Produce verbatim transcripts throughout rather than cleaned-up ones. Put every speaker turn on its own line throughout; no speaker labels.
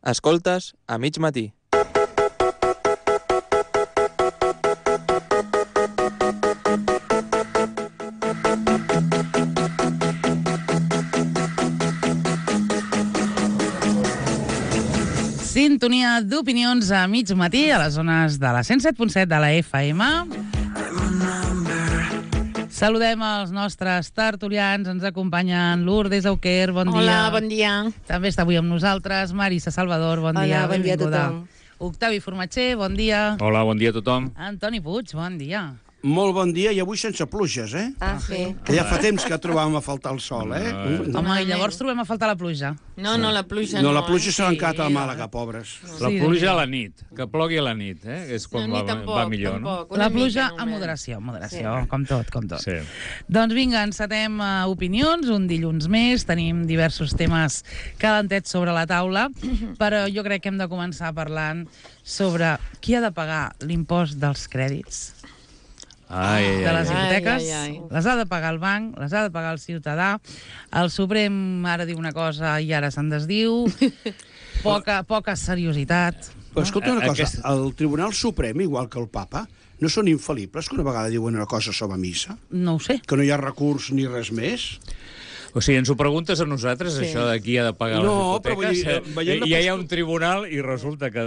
Escoltes a mig matí.
Sintonia d'opinions a mig matí a les zones de la cent set punt set de la F M. Saludem els nostres tertulians. Ens acompanyen Lourdes Auquer, bon dia.
Hola, bon dia.
També està avui amb nosaltres Marisa Salvador, bon dia.
Hola, bon dia a tothom.
Octavi Formatger, bon dia.
Hola, bon dia a tothom.
Antoni Puig, bon dia.
Molt bon dia, i avui sense pluges, eh?
Ah, sí.
Que ja fa temps que trobàvem a faltar el sol, eh?
Mm. Home, i llavors trobem a faltar la pluja.
No, no, la pluja
no.
no.
No, la pluja
eh?
s'ha encat a Màlaga, pobres.
La pluja a la nit, que plogui a la nit, eh? És quan
no,
va,
tampoc,
va millor,
tampoc,
no? La
mica,
pluja
només.
a moderació, moderació, sí. com tot, com tot.
Sí.
Doncs vinga, encetem uh, opinions, un dilluns més, tenim diversos temes calentets sobre la taula, però jo crec que hem de començar parlant sobre qui ha de pagar l'impost dels crèdits.
Ai, ai,
de les
ai,
hipoteques,
ai, ai.
les ha de pagar el banc, les ha de pagar el ciutadà. El Suprem ara diu una cosa i ara se'n desdiu. Poca, poca seriositat.
Però escolta una cosa,
Aquest...
el Tribunal Suprem, igual que el Papa, no són infal·libles que una vegada diuen una cosa sobre missa?
No ho sé.
Que no hi ha recurs ni res més?
O sigui, ens ho preguntes a nosaltres, sí. Això de qui ha de pagar
no,
les hipoteques?
Però vull dir,
I ja hi ha un tribunal i resulta que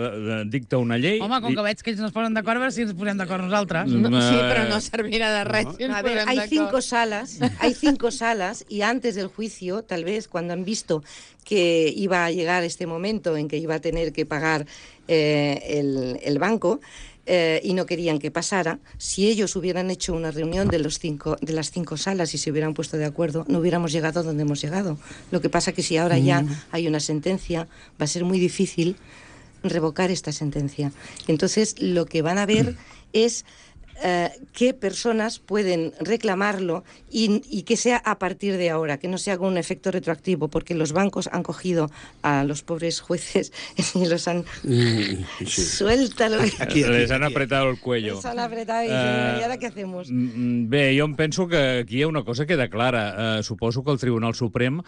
dicta una llei...
Home, com que veig que ells no es posen d'acord, a veure si ens posem d'acord nosaltres.
No, sí, pero no servirá de res.
No. A ver, hay cinco salas, hay cinco salas, y antes del juicio, tal vez, cuando han visto que iba a llegar este momento en que iba a tener que pagar eh, el, el banco, Eh, y no querían que pasara, si ellos hubieran hecho una reunión de, los cinco, de las cinco salas y se hubieran puesto de acuerdo, no hubiéramos llegado a donde hemos llegado. Lo que pasa que si ahora ya mm. hay una sentencia, va a ser muy difícil revocar esta sentencia. Entonces, lo que van a ver es eh, qué personas pueden reclamarlo y, y que sea a partir de ahora, que no se haga un efecto retroactivo, porque los bancos han cogido a los pobres jueces y los han... Mm, sí. Suéltalo.
Aquí, aquí, Les han apretado el cuello.
Les han apretado i uh, ¿y ara què hacemos?
Bé, jo em penso que aquí hi ha una cosa que queda clara. Uh, suposo que el Tribunal Suprem uh,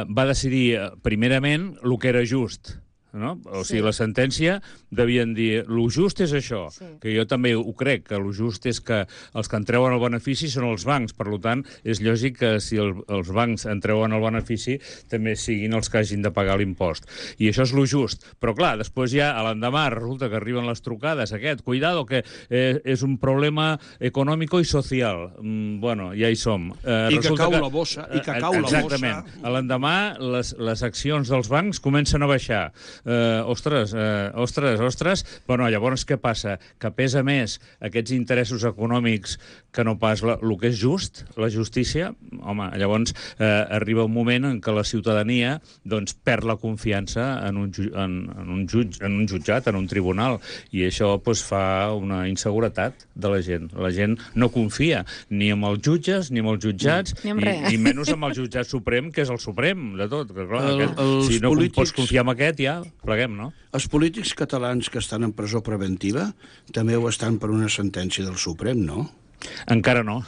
va decidir, primerament, el que era just. No? O sigui, sí. La sentència devien dir lo just és això, sí. Que jo també ho crec, que lo just és que els que en treuen el benefici són els bancs, per tant, és lògic que si el, els bancs en treuen el benefici també siguin els que hagin de pagar l'impost. I això és lo just. Però clar, després ja a l'endemà resulta que arriben les trucades, aquest, cuidado, que eh, és un problema econòmic i social. Mm, bueno, ja hi som. Eh,
I que cau que, la bossa, i que cau la bossa.
Exactament. A l'endemà les, les accions dels bancs comencen a baixar. Uh, ostres, uh, ostres, ostres, però no, llavors què passa? Que pesa més aquests interessos econòmics que no pas la, el que és just, la justícia? Home, llavors uh, arriba un moment en què la ciutadania doncs, perd la confiança en un, ju en, en, un jutj en un jutjat, en un tribunal, i això doncs, fa una inseguretat de la gent. La gent no confia ni en els jutges, ni en els jutjats,
ni,
ni, ni menys en el jutjat suprem, que és el suprem de tot. Que, clar,
el,
aquest, si no
polítics...
pots confiar en aquest, ja pleguem, no?
Els polítics catalans que estan en presó preventiva també ho estan per una sentència del Suprem, no?
Encara no.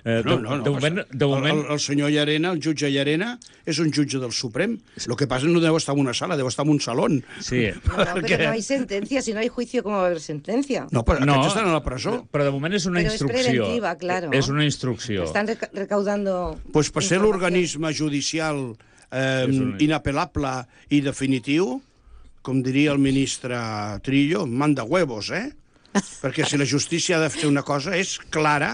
Eh,
no, no, no.
De moment, de moment...
El, el senyor Llarena, el jutge Llarena, és un jutge del Suprem. Lo que pasa no deu estar en una sala, deu estar en un salón.
Sí.
No, no, perquè... pero no hay sentencia. Si no hay juicio, ¿cómo va a haber sentencia?
No, però
no,
aquests estan a la presó.
Però de moment és una
però
instrucció.
És preventiva, claro.
És una instrucció.
Estan reca recaudando...
Pues per ser l'organisme judicial eh, una... inapel·lable i definitiu, com diria el ministre Trillo, manda huevos, eh? Perquè si la justícia ha de fer una cosa és clara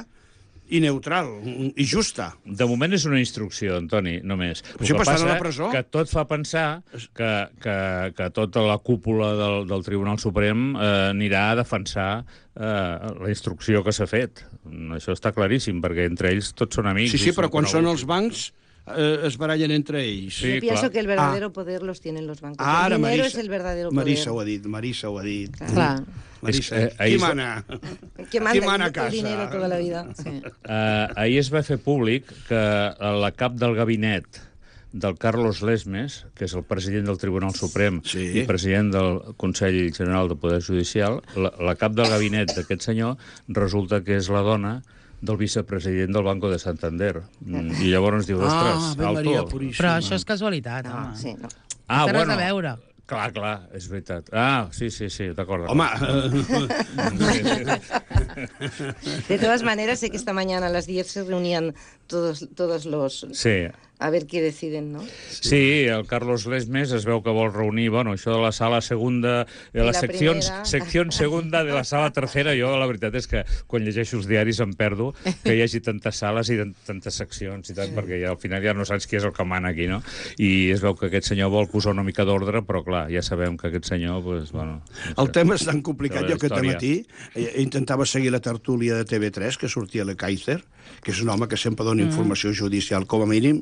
i neutral, i justa.
De moment és una instrucció, Antoni, només.
Però si passaran a la presó...
que tot fa pensar que, que, que tota la cúpula del, del Tribunal Suprem eh, anirà a defensar eh, la instrucció que s'ha fet. Això està claríssim, perquè entre ells tots són amics.
Sí, sí, però quan són els bancs eh, es barallen entre ells.
Sí, yo pienso clar. que el verdadero ah. poder los tienen los bancos.
Ara,
el dinero
Marisa,
es el verdadero poder.
Marisa ho ha dit, Marisa ho ha dit.
Clar.
Marisa,
eh,
qui mana?
Qui manda,
qui mana a casa?
El dinero toda la vida. Sí.
Uh, ahir es va fer públic que la cap del gabinet del Carlos Lesmes, que és el president del Tribunal Suprem
sí.
i president del Consell General de Poder Judicial, la, la cap del gabinet d'aquest senyor resulta que és la dona del vicepresident del Banco de Santander. I llavors ens diu, ostres,
ah,
alto.
Però això és casualitat,
no,
home.
sí, no.
Ah,
té
bueno,
res a veure.
Clar, clar, és veritat. Ah, sí, sí, sí, d'acord.
Home,
Sí, sí, sí.
De todas maneras, sé que esta mañana a las diez se reunían todos, todos los...
Sí.
A ver qué deciden, ¿no?
Sí, el Carlos Lesmes es veu que vol reunir, bueno, això de la sala segunda, de la,
la
secció,
primera.
secció segunda de la sala tercera, jo la veritat és que quan llegeixo els diaris em perdo que hi hagi tantes sales i tantes seccions i tant, perquè ja, al final ja no saps qui és el que mana aquí, no? I es veu que aquest senyor vol posar una mica d'ordre, però clar, ja sabem que aquest senyor, pues, bueno... No sé,
el tema és tan complicat.
de la
Jo aquest
història.
matí eh, intentava seguir la tertúlia de T V tres, que sortia la Kaiser, que és un home que sempre dona informació judicial, com a mínim.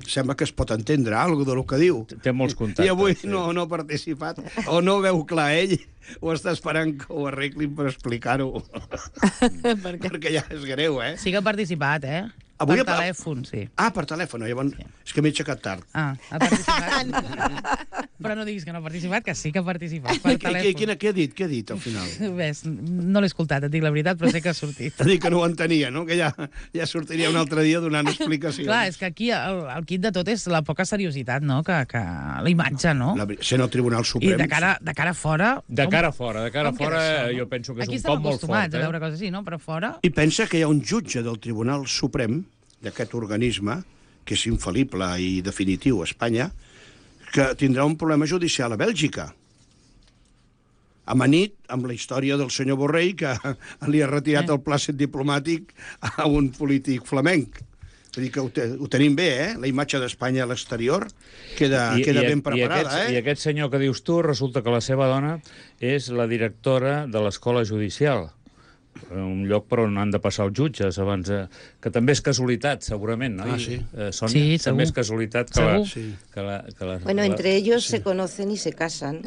Sembla que es pot entendre alguna del que diu.
Té molts contactes.
I avui
sí.
no, no ha participat, o no veu clar ell, o està esperant que ho arreglin per explicar-ho.
Per què?
Perquè ja és greu, eh?
Sí que ha participat, eh?
Avui
per
ha-
telèfon, sí.
Ah, per telèfon, llavors... Sí. És que m'he aixecat tard.
Ah, ha participat. Però no diguis que no ha participat, que sí que ha participat per
Què, què,
telèfon.
quina, què ha dit? Què ha dit, al final?
Ves, no l'he escoltat, et dic la veritat, però sé que ha sortit.
T'ha dit que no ho entenia, no? Que ja, ja sortiria un altre dia donant explicacions.
Clar, és que aquí el, el kit de tot és la poca seriositat, no?, que, que la imatge, no?
La, sent el Tribunal
I
Suprem...
de cara, de cara a fora...
De cara a fora, de cara a
com queda
fora,
això, no?
jo penso que és
Aquí
un
estem
cop molt fort,
acostumats
eh?
a veure coses així, no? Però fora...
I pensa que hi ha un jutge del Tribunal Suprem, d'aquest organisme, que és infal·lible i definitiu a Espanya, que tindrà un problema judicial a Bèlgica. Amanit amb la història del senyor Borrell, que li ha retirat
Eh.
el plàcid diplomàtic a un polític flamenc. Vull dir que ho, te, ho tenim bé, eh? La imatge d'Espanya a l'exterior queda, queda ben preparada,
i aquest,
eh?
I aquest senyor que dius tu, resulta que la seva dona és la directora de l'Escola Judicial, un lloc per on han de passar els jutges abans, eh, que també és casualitat, segurament, no?
Ah, sí.
Eh, Sònia,
Sí, segur.
també és casualitat que
Segur.
la,
Sí.
que la, que la,
Bueno,
la...
entre ellos se conocen y se casan.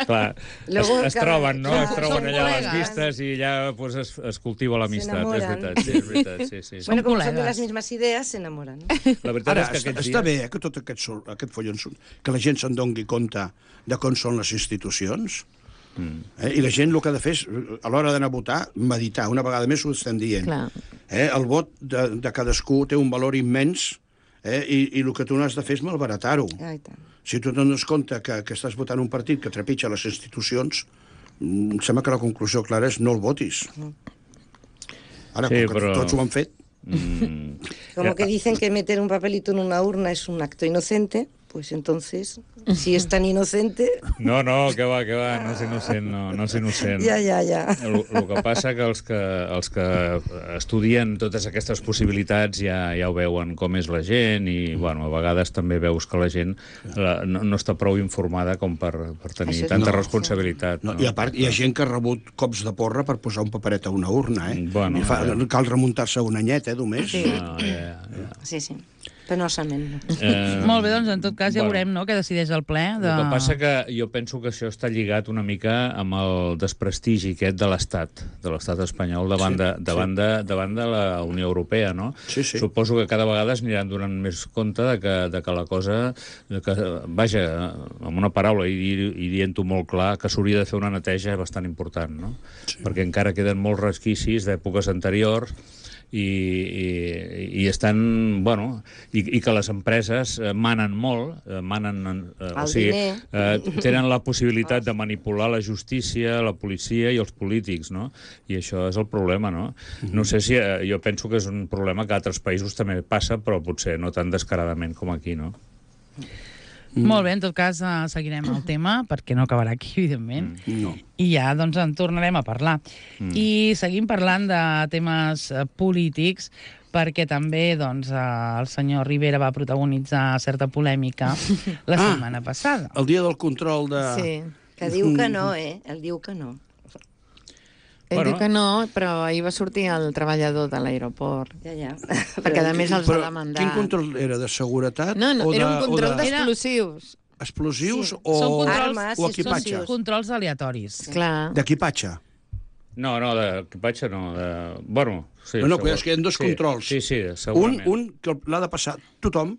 Clar,
Luego
es, es
cada-
troben, no?
clar,
Es troben
són
allà a les
col·legues.
vistes i ja pues, es, es cultiva l'amistat, és
s'enamoren.
veritat, sí, és veritat, sí, sí.
Bueno, como son de
colegas.
las mismas ideas, se enamoran.
La veritat
Ara,
és que
està,
aquests
està
dies...
bé eh, que tot aquest, sol- aquest follon, són- que la gent se'n doni compte de com són les institucions. Mm. Eh? I la gent el que ha de fer és, a l'hora d'anar a votar, meditar. Una vegada més ho estem dient.
Clar.
Eh? El vot de, de cadascú té un valor immens, eh? I, i el que tu no has de fer és malbaratar-ho.
Ai, tant.
Si tu dones compte que, que estàs votant un partit que trepitja les institucions, mm, em sembla que la conclusió clara és no el votis. Ara,
Sí,
com que
però-
tots ho han fet,
Mm.
Como
Ja-
que dicen que meter un papelito en una urna es un acto inocente, pues entonces, si es tan inocente,
No, no, que va, que va, no és innocent, no, no és innocent.
ya, ya, ya.
El, el que passa que els que, els que estudien totes aquestes possibilitats ja, ja ho veuen com és la gent i, bueno, a vegades també veus que la gent la, no, no està prou informada com per, per tenir
Això és
tanta
no.
responsabilitat.
no,
No?
i a part hi ha gent que ha rebut cops de porra per posar un paperet a una urna, eh?
Bueno,
I fa,
ja.
cal remuntar-se un anyet, eh, només.
Sí.
No, ja, ja.
Sí, sí. Penosament.
Eh,
Molt bé, doncs en tot cas ja
bueno.
veurem, no?, què decideix el ple. De...
El que passa que jo penso que això està lligat una mica amb el desprestigi aquest de l'Estat, de l'Estat espanyol davant,
Sí,
de, davant,
sí.
de, davant de la Unió Europea, no?
Sí, sí.
Suposo que cada vegada es aniran donant més compte de que, de que la cosa, de que, vaja, amb una paraula i, dir- i dient-ho molt clar, que s'hauria de fer una neteja bastant important, no? Sí. Perquè encara queden molts resquicis d'èpoques anteriors i, i, i estan, bueno, i, i que les empreses eh, manen molt, eh, manen, eh, o
El
sigui,
diner.
eh, tenen la possibilitat de manipular la justícia, la policia i els polítics, no? I això és el problema, no? No sé si, eh, jo penso que és un problema que a altres països també passa, però potser no tan descaradament com aquí, no?
Mm. Molt bé, en tot cas uh, seguirem el tema, perquè no acabarà aquí, evidentment. Mm.
No.
I ja, doncs, en tornarem a parlar. Mm. I seguim parlant de temes uh, polítics, perquè també, doncs, uh, el senyor Rivera va protagonitzar certa polèmica la
Ah.
setmana passada.
El dia del control de...
Sí.
Que diu que no, eh? El diu que no.
Ell
Bueno.
diu que no, però ahir va sortir el treballador de l'aeroport.
Ja, ja.
Perquè, a més, els
Però
va demandar.
quin control era? De seguretat?
No, no,
o de,
era un control
o de
d'explosius.
explosius
Sí.
o,
Són controls,
Armes
o
i
equipatge?
explosius.
controls aleatoris.
Clar.
D'equipatge.
No, no, d'equipatge no. De... Bueno, sí,
No, no,
segur.
és que hi ha dos
sí,
controls.
Sí, sí,
Un,
segurament.
un que l'ha de passar tothom,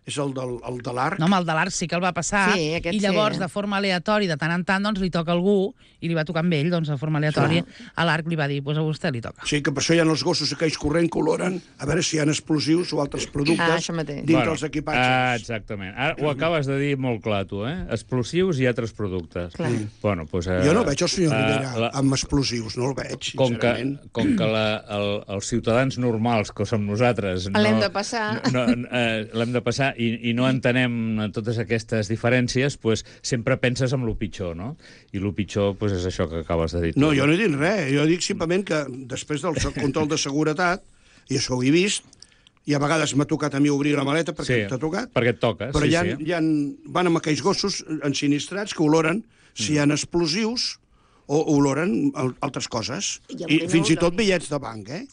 és el, del, el de l'arc.
No, home, el de l'Arc sí que el va passar,
Sí, aquest
i
sí,
llavors,
eh?
de forma aleatòria, de tant en tant, doncs, li toca a algú, i li va tocar amb ell, doncs, de forma aleatòria, a l'Arc li va dir, doncs a vostè li toca.
Sí, que per això hi ha els gossos aquells corrent que oloren a veure si hi ha explosius o altres productes
Ah, això mateix.
dintre els equipatges.
Ah, exactament. Ara ho acabes de dir molt clar, tu, eh? Explosius i altres productes.
Clar.
Bueno, pues, eh,
Jo no veig el senyor
eh,
Rivera
la-
amb explosius, no el veig,
com que,
sincerament.
com que la, el, els ciutadans normals, que som nosaltres... No,
L'hem de passar.
No, eh, l'hem de passar i, i no entenem totes aquestes diferències, pues, sempre penses en lo pitjor, no? I lo pitjor pues, és això que acabes de dir. tu.
No, jo no he dit res. Jo dic simplement que després del control de seguretat, i això ho he vist, i a vegades m'ha tocat a mi obrir la maleta perquè
Sí,
t'ha tocat,
perquè et toca,
però
sí,
hi ha,
sí.
hi ha, van amb aquells gossos ensinistrats que oloren si hi ha explosius o oloren al- altres coses.
I
I,
aunque no
fins i tot
oloren.
bitllets de banc, eh?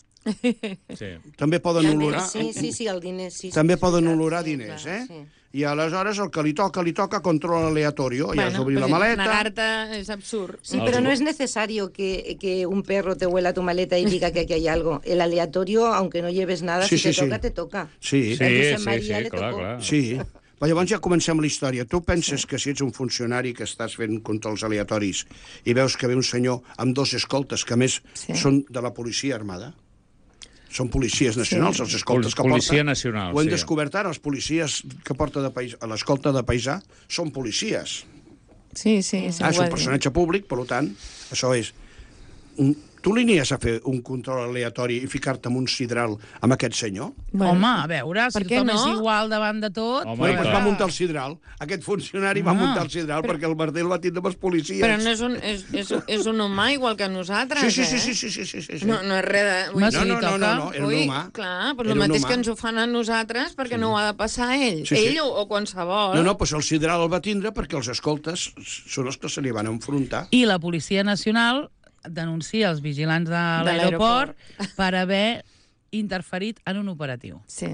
Sí.
També poden
També,
olorar...
sí, sí, sí, el diner, sí.
També
sí,
poden
sí,
olorar
sí,
diners,
clar,
eh?
sí.
I aleshores el que li toca, li toca control aleatorio. Ja has d'obrir la
pues,
maleta...
Negar-te és absurd.
Sí,
Els
pero no
go-
es necesario que, que un perro te huela tu maleta y diga que aquí hay algo. El aleatorio, aunque no lleves nada,
Sí,
si te
sí, sí.
toca, te toca.
Sí,
Sí,
A Josep
sí,
Maria
sí,
le
clar,
tocó.
clar.
sí. Però llavors ja comencem la història. Tu penses que si ets un funcionari que estàs fent controls aleatoris i veus que ve un senyor amb dos escoltes, que a més
Sí.
són de la policia armada, són policies nacionals, els escoltes que
Policia
porta.
nacional,
Ho hem
sí.
descobert ara, els policies que porta de país, a l'escolta de paisà són policies.
Sí, sí, sí.
Ah, és
ho
un
ha dit.
personatge públic, per tant, això és... Mm, Tu li anies a fer un control aleatori i ficar-te en un sidral amb aquest senyor?
Bueno,
Home, a veure, si
per què
tothom
no?
és igual davant de tot...
Home,
Bueno,
i
doncs
clar.
va muntar el sidral. Aquest funcionari va
Ah,
muntar el sidral perquè el merder el va tindre amb els policies.
Però no és un, és, és, és un humà igual que nosaltres,
Sí, sí, sí,
eh?
sí, sí, sí, sí, sí, sí.
No, no és res de...
Home,
dir-
si li
no, no, no,
toca...
no, no, era un
Ui,
humà.
clar, però
Era
el
un
mateix
humà.
que ens ho fan a nosaltres perquè no ho ha de passar a ell.
Sí, sí.
Ell o, o qualsevol.
No, no, doncs el sidral el va tindre perquè els escoltes són els que se li van enfrontar.
I la Policia Nacional denuncia els vigilants de
De
l'aeroport per haver interferit en un operatiu.
Sí.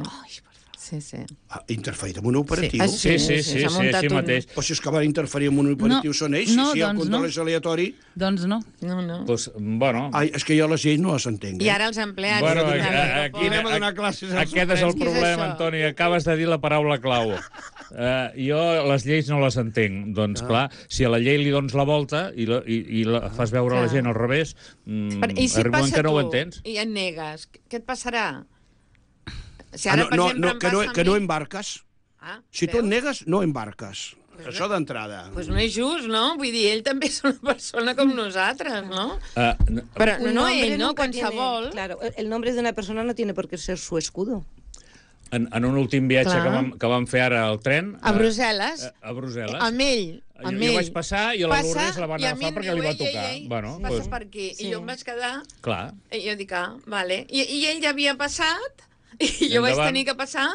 Sí, sí.
Ha interferit en un operatiu.
Ah,
Sí, sí, sí,
s'ha
sí,
muntat
així
un-
mateix.
Però si és que van interferir en un operatiu
No,
són ells,
no,
si el
doncs
control
no.
és aleatori...
Doncs no.
No, no.
Pues, bueno,
Ai, és que jo les lleis no les entenc.
I
Eh?
ara els empleats...
Bueno,
de
aquí,
l'aeroport.
aquí,
Anem a donar classes als
aquest és el
Què és
problema,
això?
Antoni. Acabes de dir la paraula clau. Uh, jo les lleis no les entenc. Doncs,
Ah.
clar, si a la llei li dones la volta i, la, i, i la fas veure a la
Clar.
gent al revés, mm,
Però, I si
arriba un
passa
que no
tu
ho entens.
i et negues, què et passarà? Si
Ah,
ara,
no,
per
no,
exemple,
no,
em
que, no,
passa a
que no
mi-
embarques.
Ah,
Si tu et
veus?
negues, no embarques. Això d'entrada.
Pues no és just, no? Vull dir, ell també és una persona com nosaltres, no?
Uh, no,
Però
Un
no
nombre
ell, no?
nunca tiene-
Qualsevol.
Claro, el nombre de una persona no tiene por qué ser su escudo.
en, en un últim viatge
Clar.
que vam, que vam fer ara al tren...
A
eh,
Brussel·les.
A, a Brussel·les.
Amb ell.
Jo,
Amb
jo
ell.
vaig passar i a la
Passa,
Lourdes la van
i a mi
agafar
em
perquè
diu,
li va
"Ei, ei,
tocar.
ei,
Bueno,
passes
doncs,
per aquí.
Sí.
I jo em vaig quedar...
clar.
I jo dic, ah, vale. I, i ell ja havia passat i jo vaig
Endavant.
tenir que passar,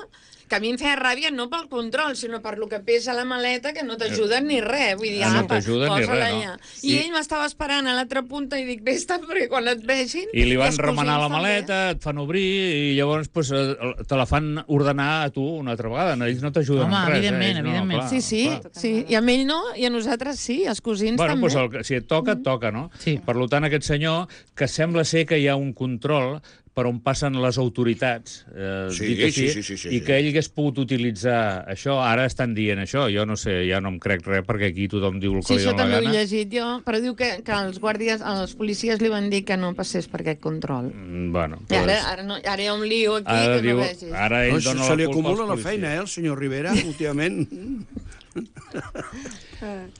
que a mi em feia ràbia no pel control, sinó per lo que pesa la maleta, que no t'ajuden ni res. Vull dir,
Ah, no
apa,
t'ajuden ni
posa-la
res, no.
allà. I,
I-
ell m'estava esperant a l'altra punta i dic, vés-te, perquè quan et vegin...
I li van
els
remenar la
cosins
maleta, et fan obrir, i llavors pues, eh, te la fan ordenar a tu una altra vegada. No, ells no t'ajuden
Home,
en res.
evidentment,
eh? ells
evidentment.
No,
També. Sí, sí,
clar.
sí. I a ell no, i a nosaltres sí, els cosins
Bueno,
també.
doncs el, que- si et toca, et toca, no?
Sí.
Per tant, aquest senyor, que sembla ser que hi ha un control per on passen les autoritats, eh,
Sí,
dit així,
sí, sí, sí, sí,
i
sí.
que ell hagués pogut utilitzar això. Ara estan dient això. Jo no sé, ja no em crec res, perquè aquí tothom diu el que
Sí,
li
això
dóna la
també ho he
gana.
llegit jo, però diu que, que els guàrdies, els policies li van dir que no passés per aquest control.
Mm, Bueno,
I ara,
doncs,
ara, no, ara hi ha un lío aquí
ara,
que
diu,
no vegis.
ara ell
No, se,
dona
se li
la culpa
acumula
als
la
policies.
feina, eh, el senyor Rivera, últimament.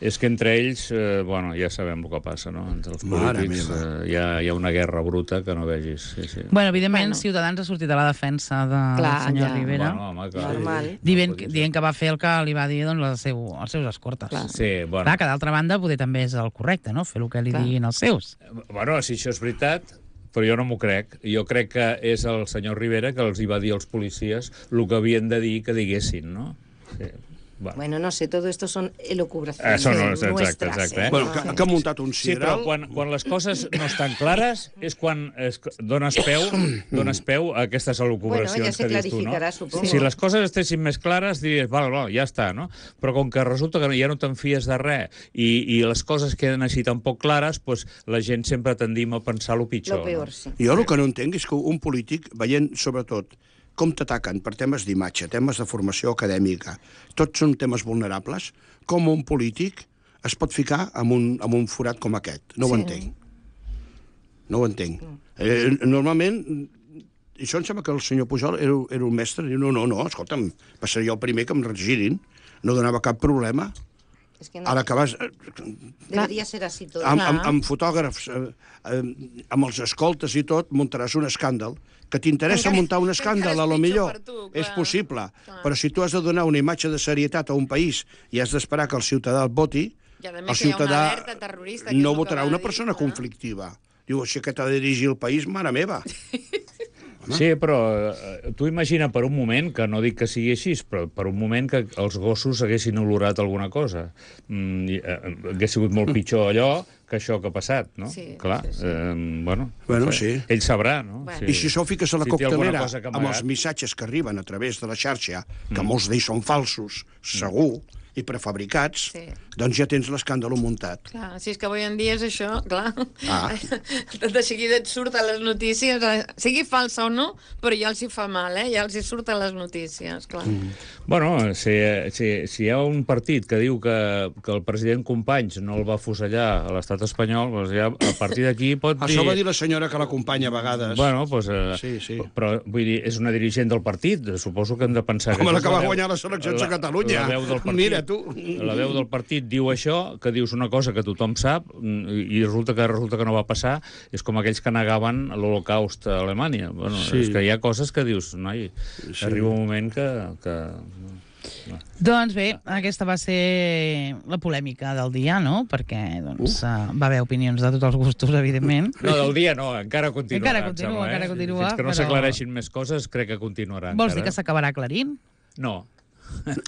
És que entre ells, eh, bueno, ja sabem el que passa, no? Entre els
Mare
polítics
meva.
eh, hi, ha, hi ha una guerra bruta que no vegis. Sí, sí.
Bueno, evidentment,
Bueno.
Ciutadans ha sortit a la defensa de,
Clar,
del senyor
ja.
Rivera,
Bueno, home, que...
Normal.
dient, dient que va fer el que li va dir doncs, el seu, els seus escortes.
Clar.
Sí, bueno.
Clar, que d'altra banda poder també és el correcte, no? Fer el que li
Clar.
diguin els seus.
Bueno, si això és veritat, però jo no m'ho crec. Jo crec que és el senyor Rivera que els hi va dir als policies el que havien de dir que diguessin, no? Sí. Va.
Bueno, no sé, todo esto son elucubraciones
Eso no, exacte,
nuestras.
exacte,
¿eh?
eh?
Bueno, que, que ha muntat un
Sí, però
sidral.
quan, quan les coses no estan clares és quan es, dones, peu, dones peu a aquestes elucubracions
Bueno, ja se
que dius tu, no?
clarificarà, supongo.
Si les coses estessin més clares, diries, val, val, ja està, no? Però com que resulta que ja no te'n fies de res i, i les coses queden així tan poc clares, pues, la gent sempre tendim a pensar el pitjor.
Lo peor,
no?
sí.
Jo el que no entenc és que un polític, veient sobretot com t'ataquen per temes d'imatge, temes de formació acadèmica, tots són temes vulnerables, com un polític es pot ficar en un, en un forat com aquest. No ho entenc. No ho entenc. Eh, normalment, i això em sembla que el senyor Pujol era, era un mestre, diu, no, no, no, escolta'm, passaré jo el primer que em regirin, no donava cap problema.
Es que no,
Ara que vas...
deberia ser així tot.
Amb, amb, amb fotògrafs, eh, eh, amb els escoltes i tot, muntaràs un escàndal. Que t'interessa
Encara-
muntar un
encara
escàndal,
és
a lo
pitjor
millor,
per tu,
és
clar.
possible.
Clar.
Però si tu has de donar una imatge de serietat a un país i has d'esperar que el ciutadà et voti,
I a més
el
que hi ha una
ciutadà
alerta terrorista, que és
no
el que
votarà
va
una
dir,
persona
clar.
conflictiva. Diu, així que t'ha de dirigir el país, mare meva.
Sí, però eh, tu imagina per un moment, que no dic que sigui així, però per un moment que els gossos haguessin olorat alguna cosa. Mm, i, eh, hagués sigut molt pitjor allò que això que ha passat, no?
Sí,
Clar,
sí, sí.
Eh, bueno,
Bueno,
no sé.
sí.
Ell sabrà, no?
Bueno.
I si això ho fiques a la
Si té alguna
coctelera
cosa que
amb
amagar.
els missatges que arriben a través de la xarxa, que molts d'ells són falsos, segur, i prefabricats,
Sí.
doncs ja tens l'escàndol muntat.
Clar, si és que avui en dia és això, clar.
Ah.
De seguida et surt a les notícies, eh, sigui falsa o no, però ja els hi fa mal, eh? Ja els hi surt a les notícies, clar. Mm.
Bueno, si, si, si hi ha un partit que diu que, que el president Companys no el va fusellar a l'estat espanyol, doncs ja a partir d'aquí pot dir...
Això va dir la senyora que l'acompanya a vegades.
Bueno, doncs, eh,
Sí, sí.
però vull dir, és una dirigent del partit, suposo que hem de pensar...
Home,
que
la
això
que
és
va
veu-
guanyar les eleccions a
la-
Catalunya.
La veu del partit,
Mira, tu.
La veu del partit diu això, que dius una cosa que tothom sap, i resulta que resulta que no va passar, és com aquells que negaven l'Holocaust a Alemanya. Bueno,
Sí.
és que hi ha coses que dius, noi,
Sí.
arriba un moment que... que...
Doncs bé, aquesta va ser la polèmica del dia, no? Perquè doncs, uh. va haver opinions de tots els gustos, evidentment.
No, del dia no, encara continuarà.
Encara
em
continua,
sembla, eh?
encara continua,
Fins que no
però-
s'aclareixin més coses, crec que continuarà.
Vols dir
encara.
que s'acabarà aclarint?
No.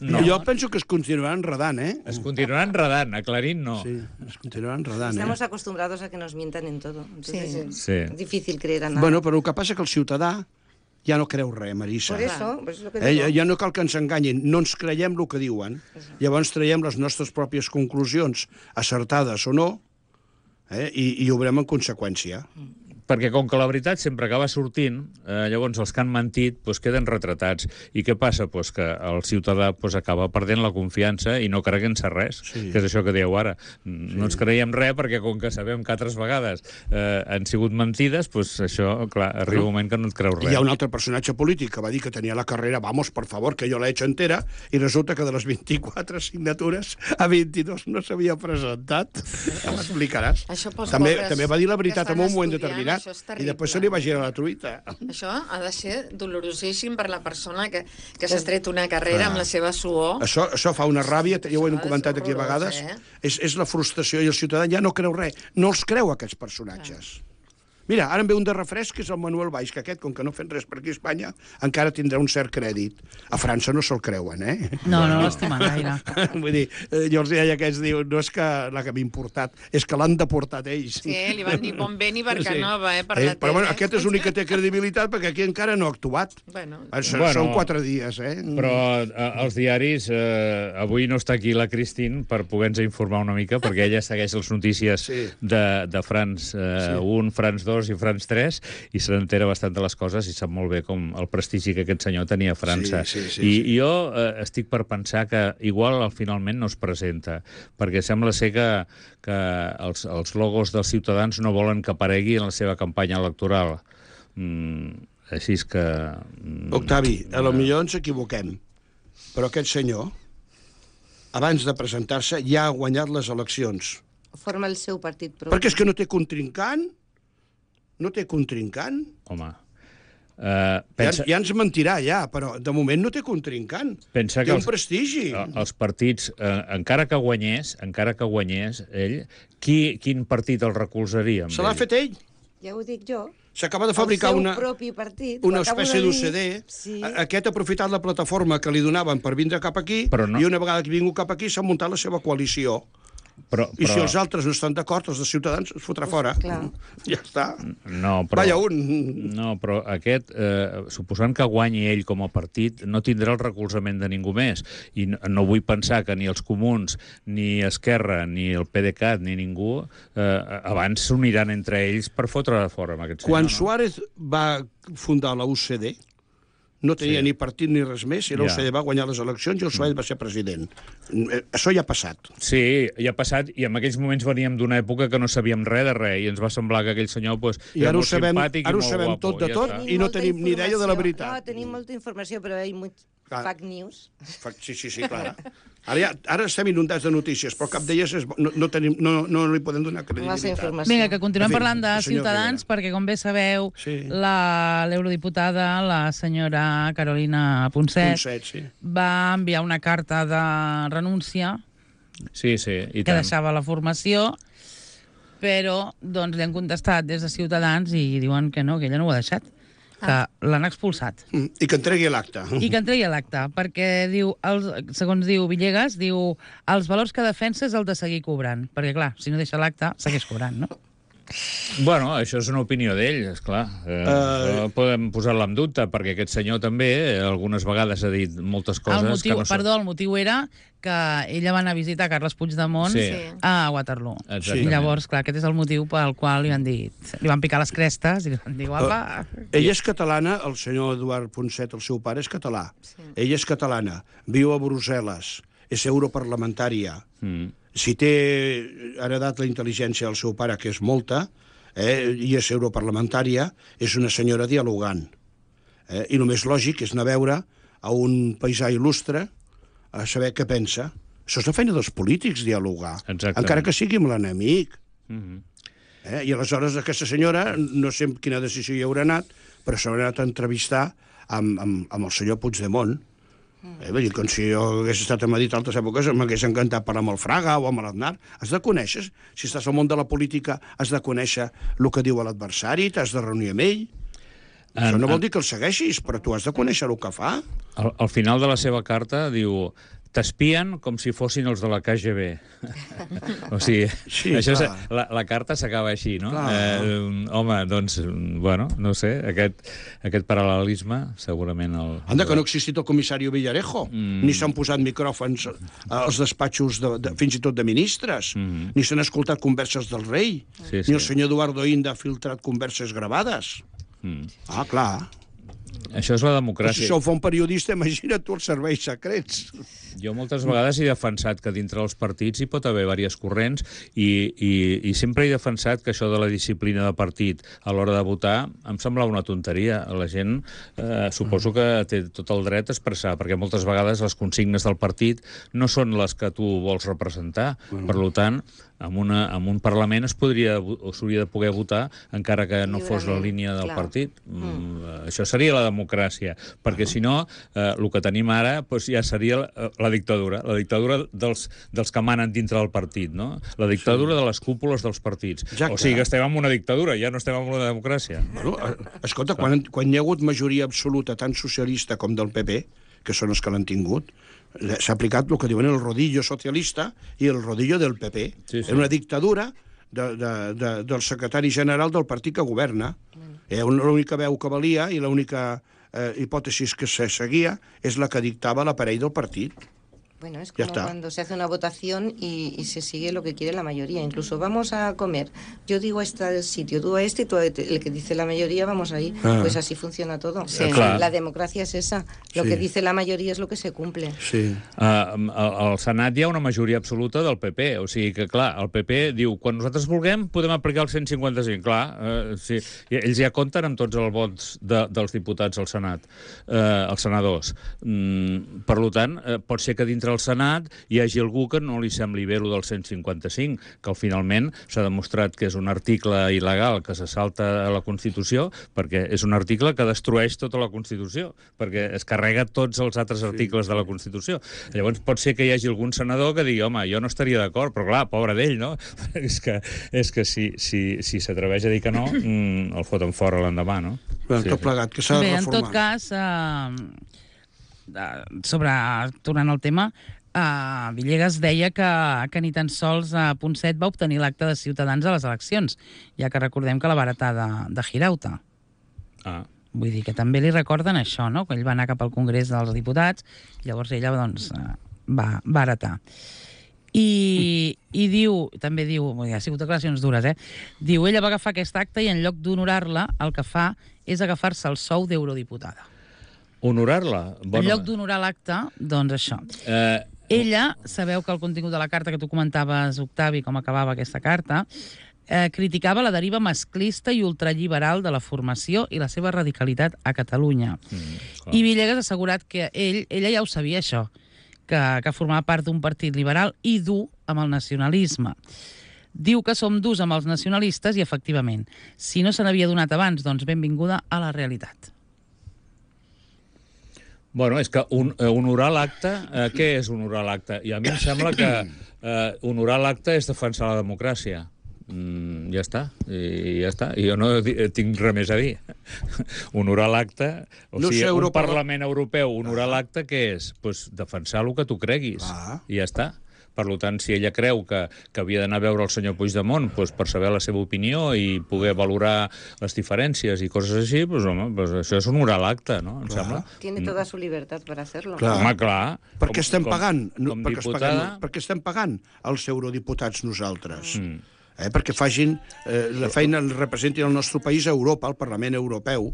No. Jo penso que es continuarà enredant, eh?
Es continuarà enredant, aclarint no.
Sí, es continuarà enredant,
Estamos
eh?
acostumbrados a que nos mientan en todo. Entonces,
Sí.
es
Sí.
difícil creer a nada.
Bueno, però el que passa és que el ciutadà ja no creu res, Marissa.
Por eso, pues es lo que
Eh,
digo.
ja, ja no cal que ens enganyin, no ens creiem el que diuen. Llavors traiem les nostres pròpies conclusions, acertades o no, eh, i, i obrem en conseqüència.
Perquè com que la veritat sempre acaba sortint, eh, llavors els que han mentit pues, queden retratats. I què passa? Pues que el ciutadà pues, acaba perdent la confiança i no creguent-se res,
Sí.
que és això que dieu ara. No ens creiem res perquè com que sabem que altres vegades eh, han sigut mentides, pues, això, clar, arriba un moment que no et creus
I
res.
hi ha un altre personatge polític que va dir que tenia la carrera, vamos, por favor, que jo l'he hecho entera, i resulta que de les vint-i-quatre signatures a vint-i-dos no s'havia presentat. Ja m'explicaràs.
Això pels
També,
pobres
també va dir la
que
veritat
estan
en un moment
estudiant,
determinat,
això és
i
terrible.
després se li va girar la truita.
Això ha de ser dolorosíssim per la persona que, que s'ha tret una carrera amb la seva suor.
Això, això fa una ràbia, ja ho hem
Això és
comentat aquí a
horrorós,
vegades,
eh?
és, és la frustració, i el ciutadà ja no creu res, no els creu aquests personatges. Mira, ara em ve un de refresc, que és el Manuel Valls, que aquest, com que no fem res per aquí a Espanya, encara tindrà un cert crèdit. A França no se'l creuen, eh?
No, no l'estimen gaire.
Vull dir, eh, jo els deia que aquests diuen, no és que l'haguem importat, és que l'han deportat ells.
Sí, li van dir bon vent i Barcanova, eh, per
Eh,
la
però bueno,
tele.
aquest és l'únic que té credibilitat, perquè aquí encara no ha actuat.
Bueno,
Això,
Bueno,
són quatre dies, eh?
Però eh, els diaris, eh, avui no està aquí la Cristín per poder-nos informar una mica, perquè ella segueix les notícies
Sí.
de, de Frans eh,
Sí.
un, Frans dos i Frans tres, i se n'entera bastant de les coses i sap molt bé com el prestigi que aquest senyor tenia a França.
Sí, sí, sí,
I,
sí.
I jo eh, estic per pensar que igual al finalment no es presenta, perquè sembla ser que, que els, els logos dels ciutadans no volen que aparegui en la seva campanya electoral. Mm, així és que... Mm,
Octavi, a lo millor ens equivoquem, però aquest senyor, abans de presentar-se, ja ha guanyat les eleccions.
Forma el seu partit propi.
Perquè és que no té contrincant, no té contrincant.
Home, uh, pensa,
Ja, ja ens mentirà, ja, però de moment no té contrincant.
pensa
Té
que
un
els,
prestigi.
eh, els partits, eh, encara que guanyés, encara que guanyés ell, qui, quin partit el recolzaria? amb
Se l'ha
ell?
fet ell.
Ja ho dic jo.
S'acaba de fabricar
el seu
una,
propi partit.
una
ho acabo
espècie
de dir.
d'U C D.
Sí.
A- Aquest ha aprofitat la plataforma que li donaven per vindre cap aquí,
Però no-
i una vegada que ha vingut cap aquí s'ha muntat la seva coalició.
Però,
I si
però,
els altres no estan d'acord, els de Ciutadans es fotrà fora.
clar.
Ja està.
no, però,
Vaya un.
No, però aquest, eh, suposant que guanyi ell com a partit, no tindrà el recolzament de ningú més. I no, no vull pensar que ni els comuns, ni Esquerra, ni el PDeCAT, ni ningú, eh, abans s'uniran entre ells per fotre fora amb aquest senyor.
Quan
no?
Suárez va fundar la U C D, no tenia
Sí.
ni partit ni res més, i l'O C D
Ja.
va guanyar les eleccions i el Suárez va ser president. Eh, Això ja ha passat.
Sí, ja ha passat, i en aquells moments veníem d'una època que no sabíem res de res, i ens va semblar que aquell senyor pues,
I
era
ara ho
molt
sabem,
simpàtic
ara
i
ho
molt
sabem
guapo.
tot de
ja
tot
està.
i no
molta
tenim ni idea de la
informació.
veritat.
No, tenim molta informació, però hi ha much
Clar.
fake news.
Sí, sí, sí, clar. Ara, ja, ara estem inundats de notícies, però cap d'elles és, bo- no, no, tenim, no, no li podem donar
Massa
credibilitat.
informació.
Vinga, que continuem
En fi,
parlant de
el senyor
Ciutadans, perquè, com bé sabeu,
Sí.
la- l'eurodiputada, la senyora Carolina Ponset,
Un set, sí.
va enviar una carta de renúncia
Sí, sí, i
que
tant.
deixava la formació, però doncs, li han contestat des de Ciutadans i diuen que no, que ella no ho ha deixat, que l'han expulsat.
Mm, I que entregui l'acte.
I que entregui l'acte, perquè, diu, els, segons diu Villegas, diu els valors que defensa és el de seguir cobrant. Perquè, clar, si no deixa l'acte, segueix cobrant, no?
Bueno, això és una opinió d'ell, esclar. Eh,
Uh,
uh... Podem posar-la en dubte, perquè aquest senyor també eh, algunes vegades ha dit moltes coses
El motiu,
que no són...
perdó, el motiu era que ella va anar a visitar Carles Puigdemont
Sí.
a Waterloo.
Exactament.
I llavors, clar, aquest és el motiu pel qual li van dir, li van picar les crestes i li van dir, guapa...
Ella és catalana, el senyor Eduard Ponset, el seu pare, és català. Sí. Ella és catalana, viu a Brussel·les, és europarlamentària.
Mm.
Si té heredat la intel·ligència del seu pare, que és molta, eh, i és europarlamentària, és una senyora dialogant. Eh, I el més lògic és anar a veure a un paisà il·lustre a saber què pensa. Això és la feina dels polítics, dialogar.
Exactament.
Encara que sigui amb l'enemic.
Mm-hmm.
Eh? I aleshores aquesta senyora, no sé amb quina decisió hi haurà anat, però s'haurà anat a entrevistar amb, amb, amb el senyor Puigdemont. Eh, vull dir, com si jo hagués estat a Madrid altres èpoques, m'hagués encantat parlar amb el Fraga o amb l'Aznar. Has de conèixer, si estàs al món de la política, has de conèixer el que diu l'adversari, t'has de reunir amb ell.
En,
Això no vol
en,
dir que el segueixis, però tu has de conèixer el que fa.
al, al final de la seva carta diu t'espien com si fossin els de la K G B. O sigui,
Sí,
això és,
clar.
la, la carta s'acaba així, no?
Clar.
Eh, home, doncs, bueno, no sé, aquest, aquest paral·lelisme segurament... El,
Anda, que no ha existit el comissari Villarejo, mm. ni s'han posat micròfons als despatxos, de, de, fins i tot de ministres, mm. ni s'han escoltat converses del rei,
Sí,
ni
sí.
el senyor Eduardo Inda ha filtrat converses gravades.
Mm.
Ah, clar.
Això és la
Però si
democràcia.
això ho fa un periodista, imagina't tu els serveis secrets.
Jo moltes vegades he defensat que dintre dels partits hi pot haver diverses corrents i, i, i sempre he defensat que això de la disciplina de partit a l'hora de votar em semblava una tonteria. La gent eh, suposo que té tot el dret a expressar, perquè moltes vegades les consignes del partit no són les que tu vols representar. Per tant, en, una, en un Parlament es podria o s'hauria de poder votar encara que no fos la
Lliurement,
línia del
clar.
partit. Mm. Això seria la democràcia, perquè si no, eh, el que tenim ara doncs ja seria la, la dictadura, la dictadura dels, dels que manen dintre del partit, no? La dictadura sí. de les cúpules dels partits.
Exacte.
O sigui que estem en una dictadura, ja no estem en una democràcia.
Bueno, eh, escolta, quan, quan hi ha hagut majoria absoluta tant socialista com del P P, que són els que l'han tingut, eh, s'ha aplicat el que diuen el rodillo socialista i el rodillo del P P.
Sí, sí.
Era una dictadura de, de, de, del secretari general del partit que governa. Eh, l'única veu que valia i l'única eh, hipòtesi que se seguia és la que dictava l'aparell del partit.
Bueno, es
Ya
como
está.
cuando se hace una votación y, y se sigue lo que quiere la mayoría. Incluso vamos a comer. Yo digo a este sitio, tú a este y tú a este. El que dice la mayoría, vamos ahí.
Ah.
Pues así funciona todo.
Sí.
Clar.
La democracia es esa. Lo
Sí.
que dice la mayoría es lo que se cumple.
Sí.
Uh, al, al Senat hi ha una majoria absoluta del P P, o sigui que, clar, el P P diu quan nosaltres vulguem podem aplicar el cent cinquanta-cinc, clar, uh, sí, i ells ja compten amb tots els vots de, dels diputats al Senat, uh, els senadors. Mm, per tant, uh, pot ser que dintre el Senat hi hagi algú que no li sembli bé lo del cent cinquanta-cinc, que al finalment s'ha demostrat que és un article il·legal que se salta a la Constitució, perquè és un article que destrueix tota la Constitució, perquè es carrega tots els altres articles de la Constitució. Llavors pot ser que hi hagi algun senador que digui, home, jo no estaria d'acord, però clar, pobre d'ell, no? és que, és que si, si, si s'atreveix a dir que no, mm, el foten fora l'endemà, no?
Bueno, tot plegat, que s'ha de
Bé, en
reformar.
tot cas, eh, de- sobre, tornant al tema, eh, Villegas deia que, que ni tan sols eh, Ponset va obtenir l'acte de Ciutadans a les eleccions, ja que recordem que la va heretar de, de Girauta.
Ah.
Vull dir que també li recorden això, no? Que ell va anar cap al Congrés dels Diputats, llavors ella doncs, eh, va, va heretar. I, i diu, també diu, vull dir, ha sigut declaracions dures, eh? Diu, ella va agafar aquest acte i en lloc d'honorar-la, el que fa és agafar-se el sou d'eurodiputada.
Honorar-la?
Bueno, en lloc d'honorar l'acte, doncs això.
Eh...
Ella, sabeu que el contingut de la carta que tu comentaves, Octavi, com acabava aquesta carta, eh, criticava la deriva masclista i ultralliberal de la formació i la seva radicalitat a Catalunya. Mm, I Villegas ha assegurat que ell, ella ja ho sabia, això, que, que formava part d'un partit liberal i dur amb el nacionalisme. Diu que som durs amb els nacionalistes i, efectivament, si no se n'havia donat abans, doncs benvinguda a la realitat.
Bueno, és que un, eh, honorar l'acte, eh, què és honorar l'acte? I a mi em sembla que eh, honorar l'acte és defensar la democràcia. Mm, ja està, i ja està. I jo no tinc res més a dir. Honorar l'acte, o
no
sigui,
sé,
un
Europa...
Parlament Europeu, honorar ah. l'acte, què és? Pues defensar el que tu creguis. Ah. I ja està. Per tant, si ella creu que, que havia d'anar a veure el senyor Puigdemont pues, per saber la seva opinió i poder valorar les diferències i coses així, pues, home, pues, això és honorar l'acte, no? Em sembla.
Tiene toda su libertad para hacerlo.
Clar.
Home, clar.
Per què estem
com,
pagant?
Com, com
perquè,
diputada...
paguem, perquè estem pagant els eurodiputats nosaltres.
Mm.
Eh, perquè facin eh, la feina, representin el nostre país a Europa, al Parlament Europeu.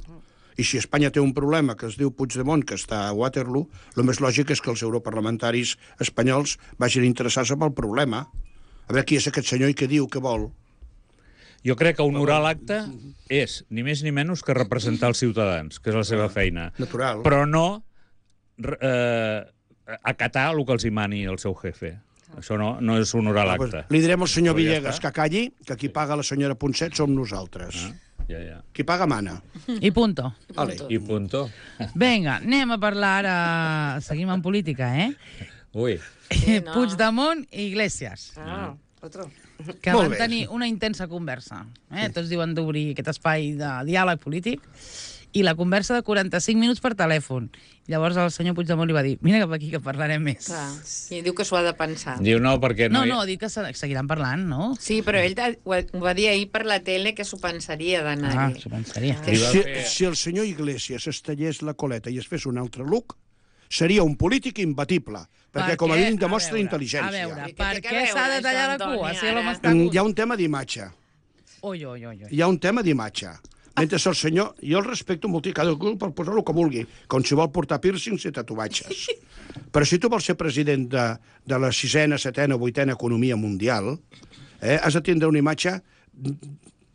I si Espanya té un problema que es diu Puigdemont, que està a Waterloo, el més lògic és que els europarlamentaris espanyols vagin interessats en el problema. A veure qui és aquest senyor i què diu, què vol.
Jo crec que honorar l'acte és ni més ni menys que representar els ciutadans, que és la seva feina.
Natural.
Però no eh, acatar el que els hi mani el seu jefe. Això no, no és honorar
Ah,
l'acte.
pues, li direm al senyor
Però ja
Villegas
està.
que calli, que qui paga la senyora Ponset som nosaltres.
Ah, ja, ja.
Qui paga mana.
I punto.
Vale.
I punto.
Vinga, anem a parlar ara... Seguim en política, eh?
Ui.
Sí, no.
Puigdemont i Iglesias,
Ah, otro.
que
Molt
van
bé.
tenir una intensa conversa. Eh? Tots diuen d'obrir aquest espai de diàleg polític. I la conversa de quaranta-cinc minuts per telèfon. Llavors el senyor Puigdemont li va dir, vine cap aquí que parlarem més.
Clar. I diu que s'ho ha de pensar.
Diu no, perquè
No,
no...
no, dic que se- seguiran parlant, no?
Sí, però ell ta- ho ho va dir ahir per la tele que s'ho pensaria
Ah,
d'anar-hi.
s'ho pensaria.
Li va
Si,
fer-
si el senyor Iglesias es tallés la coleta i es fes un altre look, seria un polític imbatible, perquè
Per
com a
què?
mínim demostra
A veure,
intel·ligència.
A veure,
Què té
per
que
què s'ha de
veure
tallar la
això,
cua
Antoni,
si l'home
ara?
està
Mm,
gut?
Hi ha un tema d'imatge.
Ui, ui, ui, ui.
Hi ha un tema d'imatge. Mentre el senyor... Jo el respecto molt, i cada cul per posar-lo que vulgui, com si vol portar piercings i tatuatges. Però si tu vols ser president de, de la sisena, setena o vuitena economia mundial, eh, has de tindre una imatge,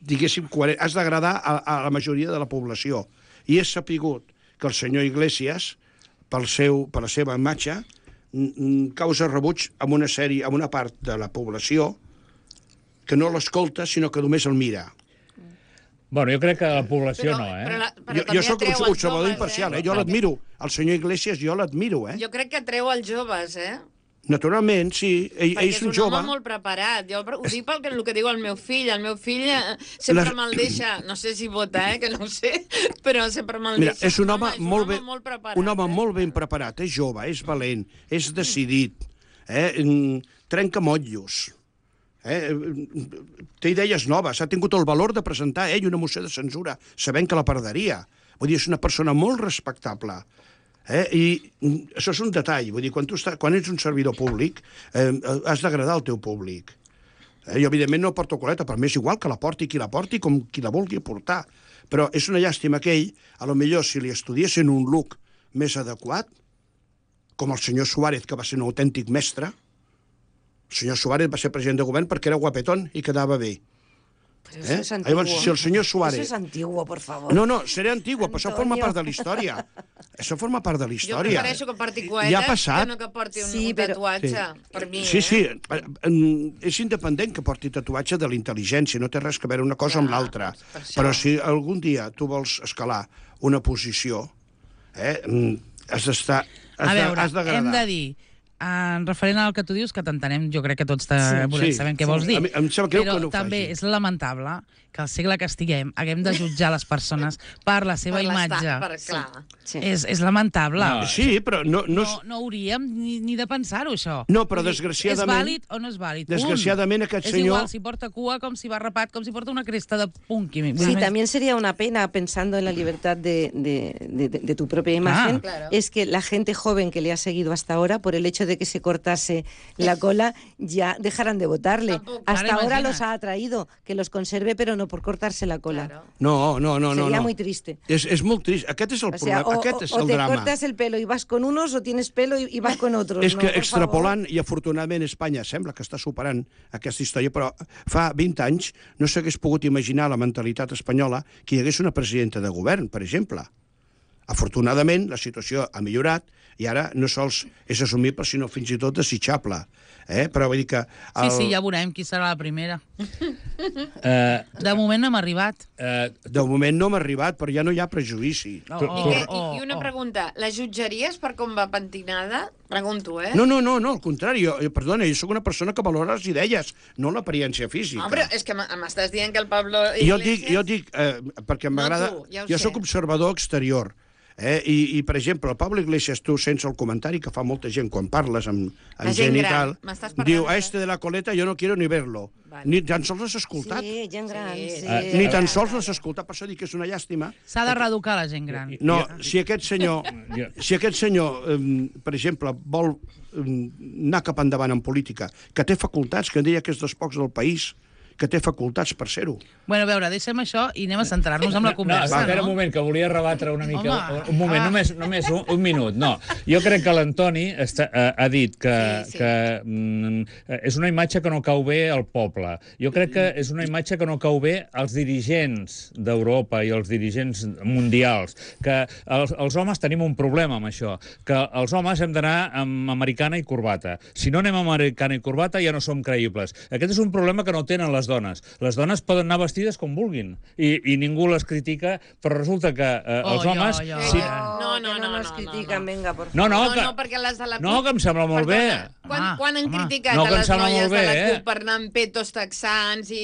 diguéssim, coherent. Has d'agradar a, a la majoria de la població. I és sapigut que el senyor Iglesias, pel seu, per la seva imatge, mm, mm, causa rebuig amb una sèrie, amb una part de la població que no l'escolta, sinó que només el mira.
Bueno, jo crec que la població
Però-
no, eh?
però la- però
Jo,
també
jo sóc
atreu
un
els
observador
joves,
imparcial,
eh?
eh? Jo l'admiro. El senyor Iglesias jo l'admiro, eh?
Jo crec que atreu els joves, eh?
Naturalment, sí. Ell,
Perquè
ell
és
és
un
un jove.
home molt preparat. Jo ho dic pel que, el que diu el meu fill. El meu fill eh, sempre
Les-
me'l deixa... No sé si vota, eh? Que no ho sé. Però sempre me'l
Mira,
deixa.
és un home,
és
molt, ben,
molt preparat.
un home
eh?
molt ben preparat, és jove, és valent, és decidit, eh? Mm, trenca motllos, eh? Té idees noves, ha tingut el valor de presentar ell una moció de censura sabent que la perdria. Vull dir, és una persona molt respectable. Eh? I mm, això és un detall. Vull dir, quan, tu està, quan ets un servidor públic, eh, has d'agradar al teu públic. Eh, jo, evidentment, no porto coleta, però m'és igual que la porti qui la porti com qui la vulgui portar. Però és una llàstima que ell, a lo millor, si li estudiessin un look més adequat, com el senyor Suárez, que va ser un autèntic mestre, el senyor Suárez va ser president de govern perquè era guapetón i quedava bé.
Pero eso
Eh?
es antiguo.
Llavors, si el senyor Suárez...
Eso es antiguo, por favor.
No, no, seré antigo, però això
Antonio.
forma part de la història. Això forma part de la
Jo
història.
prefereixo que porti coetes
Ja ha passat.
que no que porti un,
Sí,
un
però-
tatuatge.
Sí.
Per mi,
Sí,
eh?
sí, eh, eh, és independent que porti tatuatge de la intel·ligència, no té res a veure una cosa amb
Clar,
l'altra.
per això.
Però si algun dia tu vols escalar una posició, eh, mm, has d'estar... Has
A
de-
veure,
has d'agradar.
hem de dir, en referent al que tu dius, que t'entenem, jo crec que tots te,
Sí,
volem,
sí,
sabem què
sí.
vols dir.
A mi- em sap greu
però
que no ho
també
faci.
és lamentable que al segle que estiguem haguem de jutjar les persones per la seva
Per l'estat,
imatge.
Per, clar.
Sí.
És, és lamentable.
No,
Sí, però no... no,
No, no hauríem ni, ni de pensar-ho, això.
No, però
Vull dir,
desgraciadament-
És vàlid o no és vàlid? Punt.
Desgraciadament aquest
és
senyor-
És igual si porta cua com si va rapat, com si porta una cresta de punky. Vull
Sí,
dir,
también sería una pena, pensando en la libertad de, de, de, de tu propia imagen,
Claro.
es que la gente joven que le ha seguido hasta ahora, por el hecho hecho de que se cortase la cola, ya dejarán de votarle.
Tampoco.
Hasta
Claro,
ahora
imagina't.
los ha atraído, que los conserve, pero no por cortarse la cola.
Claro.
No, no, no, no.
Sería
no.
muy triste.
És, és molt trist. Aquest és el
O sea,
problema,
o,
aquest
o-
és
o
el
te
drama.
cortas el pelo y vas con unos, o tienes pelo y, y vas con otros.
És
no,
que
por
extrapolant, i afortunadament Espanya sembla que està superant aquesta història, però fa vint anys no s'hagués pogut imaginar la mentalitat espanyola que hi hagués una presidenta de govern, per exemple. Afortunadament, la situació ha millorat i ara no sols és assumible, sinó fins i tot desitjable. Eh? Però vull dir que...
Sí, sí, ja veurem qui serà la primera.
Eh,
De moment no hem arribat.
eh,
De moment no m'ha arribat, però ja no hi ha prejudici.
Oh,
Tu-
I,
tu-
que, i,
oh,
I una
oh.
pregunta, la jutjaries per com va pentinada? Pregunto, eh?
No, no, no, no, al contrari. Jo, jo, perdona, jo sóc una persona que valora les idees, no l'apariència física.
No, però és que m- m'estàs dient que el Pablo
I jo
Iglesias...
dic, jo dic eh, perquè
No
m'agrada...
tu, ja ho
jo
sé.
sóc observador exterior. Eh? I, I, per exemple, el Pablo Iglesias, tu, sense el comentari que fa molta gent quan parles amb, amb
La gent
gent i
gran.
tal,
M'estàs parlant
diu,
de-
a este de la coleta yo no quiero ni verlo.
Vale.
Ni tan sols l'has escoltat.
Sí, gent gran,
Sí.
sí.
Ah,
Ni tan
Ja,
sols
ja,
l'has
ja.
escoltat, per això dic que és una llàstima.
S'ha de reeducar la gent gran.
No,
Jo-
si aquest senyor,
Jo-
si aquest senyor eh, per exemple, vol eh, anar cap endavant en política, que té facultats, que deia que és dels pocs del país, que té facultats per ser-ho.
Bueno, a veure, deixem això i anem a centrar-nos en la
No,
conversa,
espera
no?
un moment, que volia rebatre una mica...
Home,
un moment,
ah.
només, només un, un minut. No, jo crec que l'Antoni està- ha, ha dit que,
Sí, sí.
que mm, és una imatge que no cau bé al poble. Jo crec que és una imatge que no cau bé als dirigents d'Europa i als dirigents mundials, que els, els homes tenim un problema amb això, que els homes hem d'anar amb americana i corbata. Si no anem amb americana i corbata ja no som creïbles. Aquest és un problema que no tenen les dones. Les dones poden anar vestides com vulguin i, i ningú les critica, però resulta que eh,
Oh,
els
jo,
homes...
jo,
si...
jo.
No, no,
que
no,
no nos
no,
critican,
no.
venga, por favor.
No, no,
No,
que...
no, perquè les de la CUP...
No, que em sembla molt bé.
Quan,
Home,
quan han
home.
criticat
No, que
a
em
les
sembla
noies
molt
de la
bé, eh?
CUP per anar amb petos texans i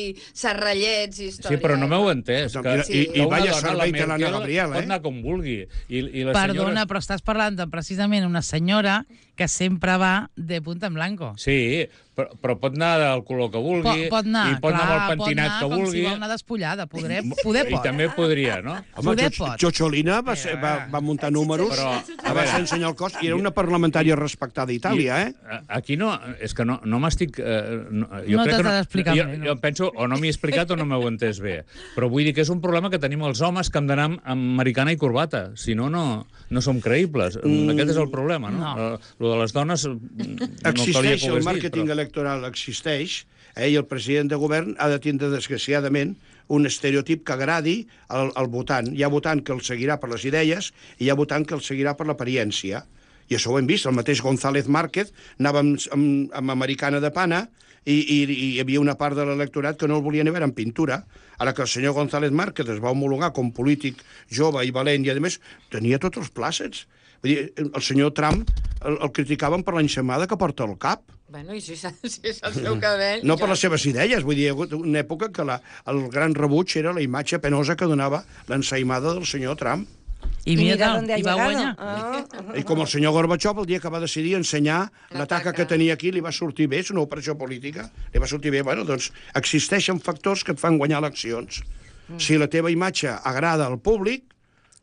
serrallets i històries?
Sí, però no m'heu entès. Que,
I- i-
que
i
una
vaya
dona,
servei
la
que l'Anna
Merkel,
Gabriel,
pot
eh?
anar com vulgui. I, i la
Perdona,
senyora...
però estàs parlant de precisament una senyora que sempre va de punta en blanco.
Sí, però, però pot anar del color que vulgui.
Pot, pot anar,
i pot
clar,
anar amb el pentinat
pot anar
que
com
vulgui.
si vol anar despullada. Poder, poder
I
pot.
també podria, no?
Home,
Poder
Cho-
pot.
Xocholina va, ser, va, va muntar números,
Però, a
va
veure,
ser ensenyar el cos, i era una parlamentària respectada a Itàlia, eh?
A- Aquí no, és que no, no m'estic... Eh, no, jo
No
crec
t'has
que
d'explicar
jo,
bé, no.
jo penso, o no m'hi he explicat o no m'heu entès bé. Però vull dir que és un problema que tenim els homes que hem d'anar amb, amb americana i corbata. Si no, no, no som creïbles. Mm. Aquest és el problema, no?
No.
Eh, Lo de les dones mm, no calia
Existeix,
que ho
el
hagués
màrqueting
dit,
electoral existeix, eh, i el president de govern ha de tindre, desgraciadament, un estereotip que agradi al, al votant. Hi ha votant que el seguirà per les idees i hi ha votant que el seguirà per l'apariència. I això ho hem vist. El mateix González Márquez anava amb, amb, amb americana de pana i, i, i hi havia una part de l'electorat que no el volia ni veure en pintura. Ara que el senyor González Márquez es va homologar com polític jove i valent i, a més, tenia tots els plàcets. Vull dir, el senyor Trump el, el criticaven per l'enxamada que porta al cap.
Bueno, i si, és- si és el seu cabell...
No per
ja-
les seves idees, vull dir, hi ha hagut una època que la, el gran rebuig era la imatge penosa que donava l'ensaïmada del senyor Trump.
I
Y
mira,
mira
tal,
dónde ha
i va
llegado.
guanyar.
Ah.
I com el senyor Gorbachev, el dia que va decidir ensenyar la taca
taca.
que tenia aquí, li va sortir bé, és una operació política, li va sortir bé. Bueno, doncs existeixen factors que et fan guanyar eleccions. Si la teva imatge agrada al públic,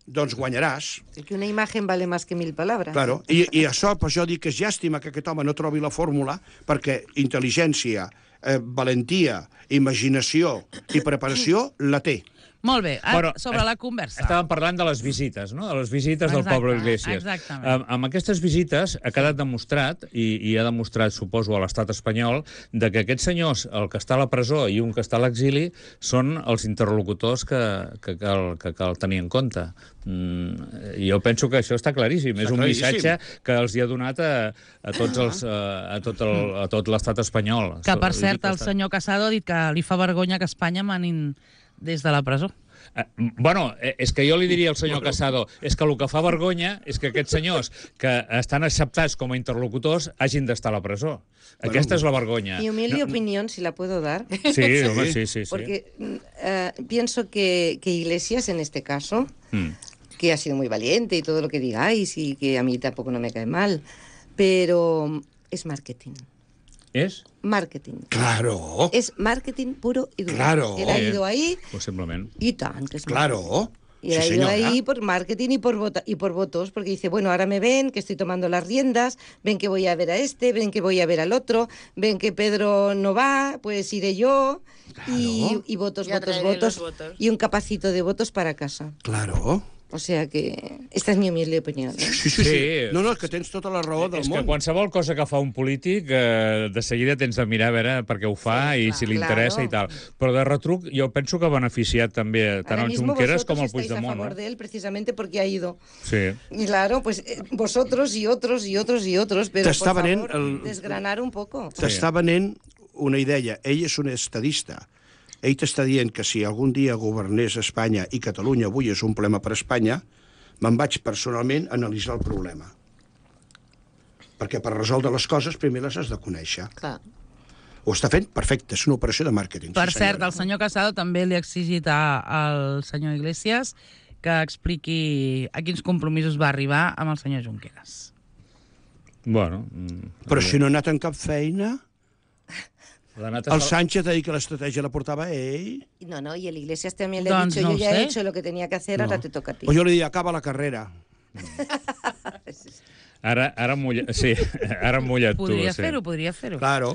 doncs guanyaràs.
Es que una imagen vale más que mil palabras.
Claro. I, I això, per això dic que és llàstima que aquest home no trobi la fórmula, perquè intel·ligència, eh, valentia, imaginació i preparació la té.
Molt bé, ara,
Però,
sobre
es-
la conversa.
Estàvem parlant de les visites, no? De les visites del
Exacte,
Pablo Iglesias.
exactament.
Amb, amb aquestes visites ha quedat demostrat, i, i ha demostrat, suposo, a l'estat espanyol, de que aquests senyors, el que està a la presó i un que està a l'exili, són els interlocutors que, que, cal, que cal tenir en compte. Mm, jo penso que això està claríssim.
Està
És un
claríssim.
missatge que els hi ha donat a, a tots els, a, a tot el, a tot l'estat espanyol.
Que, per
Vull dir
cert,
que
el
està-
senyor Casado ha dit que li fa vergonya que Espanya manin des de la presó.
Eh, Bueno, eh, és que jo li diria al senyor Casado, és que el que fa vergonya és que aquests senyors que estan acceptats com a interlocutors hagin d'estar a la presó. Aquesta és la vergonya.
Mi humilde opinión, si la puedo dar,
Sí, home, sí, sí, sí.
porque mm, eh, pienso que, que Iglesias, en este caso,
Mm.
que ha sido muy valiente y todo lo que digáis y que a mí tampoco no me cae mal, pero es marketing.
És?
Marketing.
Claro,
Es marketing puro y duro.
Claro.
Él ha ido ahí
Possiblement.
y tan, que es
claro.
Y ha
Sí,
ido
señora.
ahí por marketing y por, vota- y por votos, porque dice, bueno, ahora me ven que estoy tomando las riendas, ven que voy a ver a este, ven que voy a ver al otro, ven que Pedro no va, pues iré yo, y,
Claro.
y votos,
Ya
votos,
traeré los
votos,
votos.
y un capacito de votos para casa.
Claro.
O sea que esta es mi humilde opinión. ¿eh?
Sí, sí, sí.
Sí.
No, no, és que tens tota la raó del
És que
món.
qualsevol cosa que fa un polític, eh, de seguida tens de mirar a veure per què ho fa
Sí,
i
clar,
si li interessa i tal. Però de retruc, jo penso que ha beneficiat també tant
Ahora
el
mismo
Junqueras
vosotros
com el
estáis a
Puigdemont.
favor
No?
de él precisamente porque ha ido.
Sí.
Y claro, pues eh, vosotros y otros y otros y otros, pero
T'està
por
venent
favor,
el-
desgranar un poco.
T'està venent una idea. Ell és un estadista. Ell t'està dient que si algun dia governés Espanya i Catalunya avui és un problema per Espanya, me'n vaig personalment a analitzar el problema. Perquè per resoldre les coses primer les has de conèixer.
Clar.
Ho està fent perfecte, és una operació de màrqueting.
Per
sí,
cert,
senyora.
el senyor Casado també li ha exigit a- al senyor Iglesias que expliqui a quins compromisos va arribar amb el senyor Junqueras.
Bueno... mm,
Però si no ha anat en cap feina,
l'ha anat a
el
sal-
Sánchez ha dit que l'estratègia la portava ell.
No, no, y el Iglesias también le ha
Doncs
dicho,
no
yo
ho
ya
sé.
he hecho lo que tenía que hacer, ahora te toca a ti.
Pues jo li dic, acaba la carrera.
Ara, ara, mulla... sí, ara mullat tu.
Podria
sí.
fer-ho, podria fer-ho.
Claro.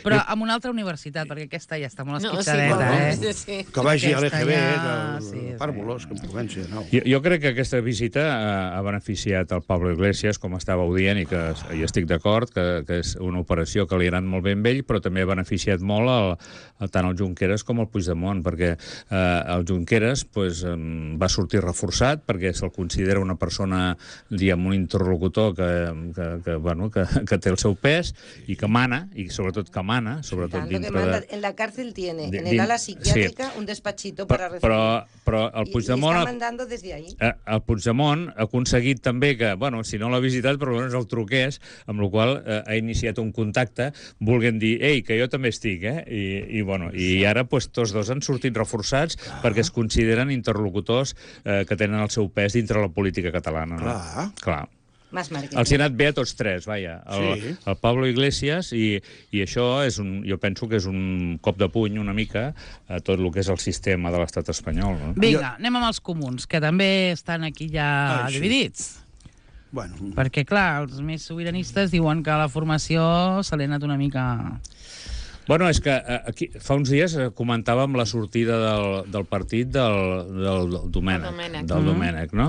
Però amb una altra universitat, perquè aquesta ja està molt
No, sí,
esquitxadeta,
bueno,
eh?
sí, sí.
Que vagi a
Aquesta
l'E G B,
ja-
que
sí,
el
sí.
Pàrvulos, que em comenci de nou.
Jo, jo crec que aquesta visita ha, ha beneficiat el Pablo Iglesias, com estàveu dient, i que hi estic d'acord, que, que és una operació que li ha anat molt bé amb ell, però també ha beneficiat molt el, el, tant el Junqueras com el Puigdemont, perquè eh, el Junqueras pues, eh, va sortir reforçat, perquè se'l considera una persona, diguem, un interlocutor que, que, que, bueno, que, que té el seu pes i que mana, i sobretot que mana, sobretot
Tanto que
dintre
manda,
de...
en la cárcel tiene,
de-
en el ala
sí.
psiquiátrica, un despachito para recibir.
Però, però el
Y- y
Puigdemont...
está mandando desde ahí.
Eh, el Puigdemont ha aconseguit també que, bueno, si no l'ha visitat, però almenys el truqués, amb la qual eh, ha iniciat un contacte, volguent dir, ei, que jo també estic, eh? I, i, bueno, i ara pues, tots dos han sortit reforçats ah. perquè es consideren interlocutors eh, que tenen el seu pes dintre la política catalana. No?
Clar.
Clar.
Más marketing.
Els hi ha anat bé a tots tres, vaja. El,
Sí.
el Pablo Iglesias, i, i això és un, jo penso que és un cop de puny una mica a tot el que és el sistema de l'estat espanyol. No?
Vinga, anem amb els comuns, que també estan aquí ja
Ai, sí.
dividits.
Bueno,
Perquè, clar, els més sobiranistes diuen que la formació se li ha anat una mica...
Bueno, és que eh, aquí, fa uns dies eh, comentàvem la sortida del, del partit del, del, del Domènec.
El Domènec.
Del Domènec, no?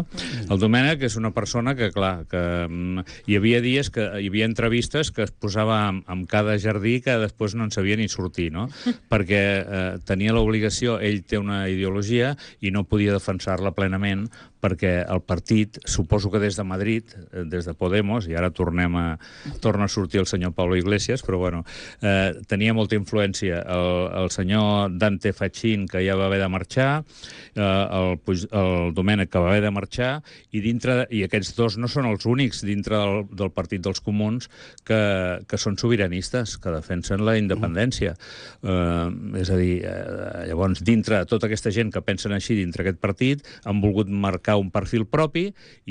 El Domènec és una persona que, clar, que mm, hi havia dies que hi havia entrevistes que es posava amb, amb cada jardí que després no en sabia ni sortir, no? Perquè eh, tenia l'obligació, ell té una ideologia i no podia defensar-la plenament perquè el partit, suposo que des de Madrid, eh, des de Podemos, i ara tornem a, torna a sortir el senyor Pablo Iglesias, però bueno, eh, tenia molta influència. El, el senyor Dante Fachin, que ja va haver de marxar, eh, el, Puig- el Domènec, que va haver de marxar, i dintre i aquests dos no són els únics dintre del, del Partit dels Comuns que, que són sobiranistes, que defensen la independència. Eh, és a dir, eh, llavors, dintre de tota aquesta gent que pensen així dintre aquest partit, han volgut marcar un perfil propi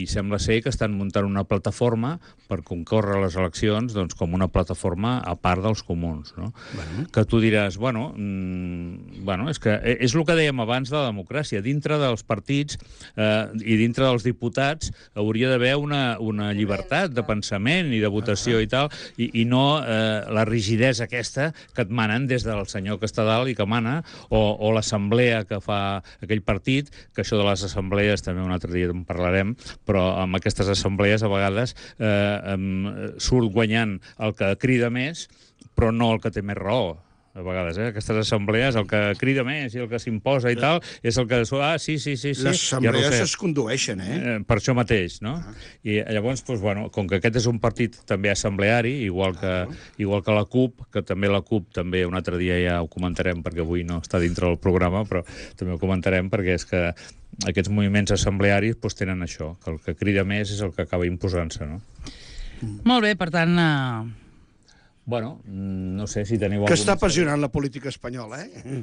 i sembla ser que estan muntant una plataforma per concórrer a les eleccions doncs, com una plataforma a part dels comuns. No? Bueno. Que tu diràs, bueno, mm, bueno, és que és el que dèiem abans de la democràcia. Dintre dels partits eh, i dintre dels diputats hauria d'haver una, una llibertat de pensament i de votació i tal, i, i no eh, la rigidesa aquesta que et manen des del senyor que està dalt i que mana, o, o l'assemblea que fa aquell partit, que això de les assemblees també un altre dia en parlarem, però amb aquestes assemblees a vegades eh, em, surt guanyant el que crida més, però no el que té més raó. A vegades, eh? Aquestes assemblees, el que crida més i el que s'imposa i tal, és el que... Ah, sí, sí, sí, sí.
les
ja ho
assemblees
sé.
es condueixen, eh?
Eh, per això mateix, no? Ah. I llavors, doncs, bueno, com que aquest és un partit també assembleari, igual que, ah. igual que la CUP, que també la CUP, també un altre dia ja ho comentarem, perquè avui no està dintre del programa, però també ho comentarem, perquè és que aquests moviments assemblearis doncs, tenen això, que el que crida més és el que acaba imposant-se, no?
Molt bé, per tant... Eh...
Bueno, no sé si teniu...
Que
algun-
està apassionant la política espanyola, eh?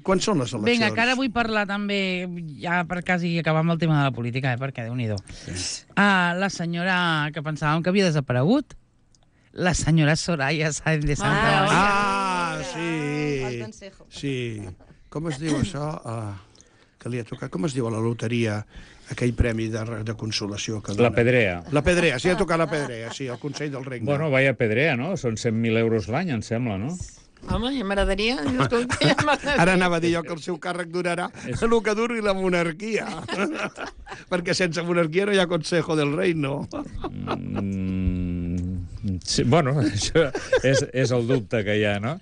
Quan són les eleccions?
Vinga, que ara vull parlar també, ja per quasi acabar amb el tema de la política, eh, perquè déu-n'hi-do. Ah, la senyora que pensàvem que havia desaparegut, la senyora Soraya Sáenz de Santa
Ah,
Maria.
Ah,
Al
sí.
consejo.
Sí. Com es diu això? Uh, que li ha tocat, com es diu a la loteria, aquell premi de, de consolació que dona?
La Pedrea.
La Pedrea, sí, ha tocat la Pedrea, sí, el Consell del Regne.
Bueno, vaya Pedrea, no? Són cent mil euros l'any, em sembla, no?
Home, ja m'agradaria. Escolta, ja m'agradaria.
Ara anava a dir jo que el seu càrrec durarà el que duri la monarquia. Perquè sense monarquia no hi ha Consejo del Reino.
Mm, sí, bueno, això és, és el dubte que hi ha, no?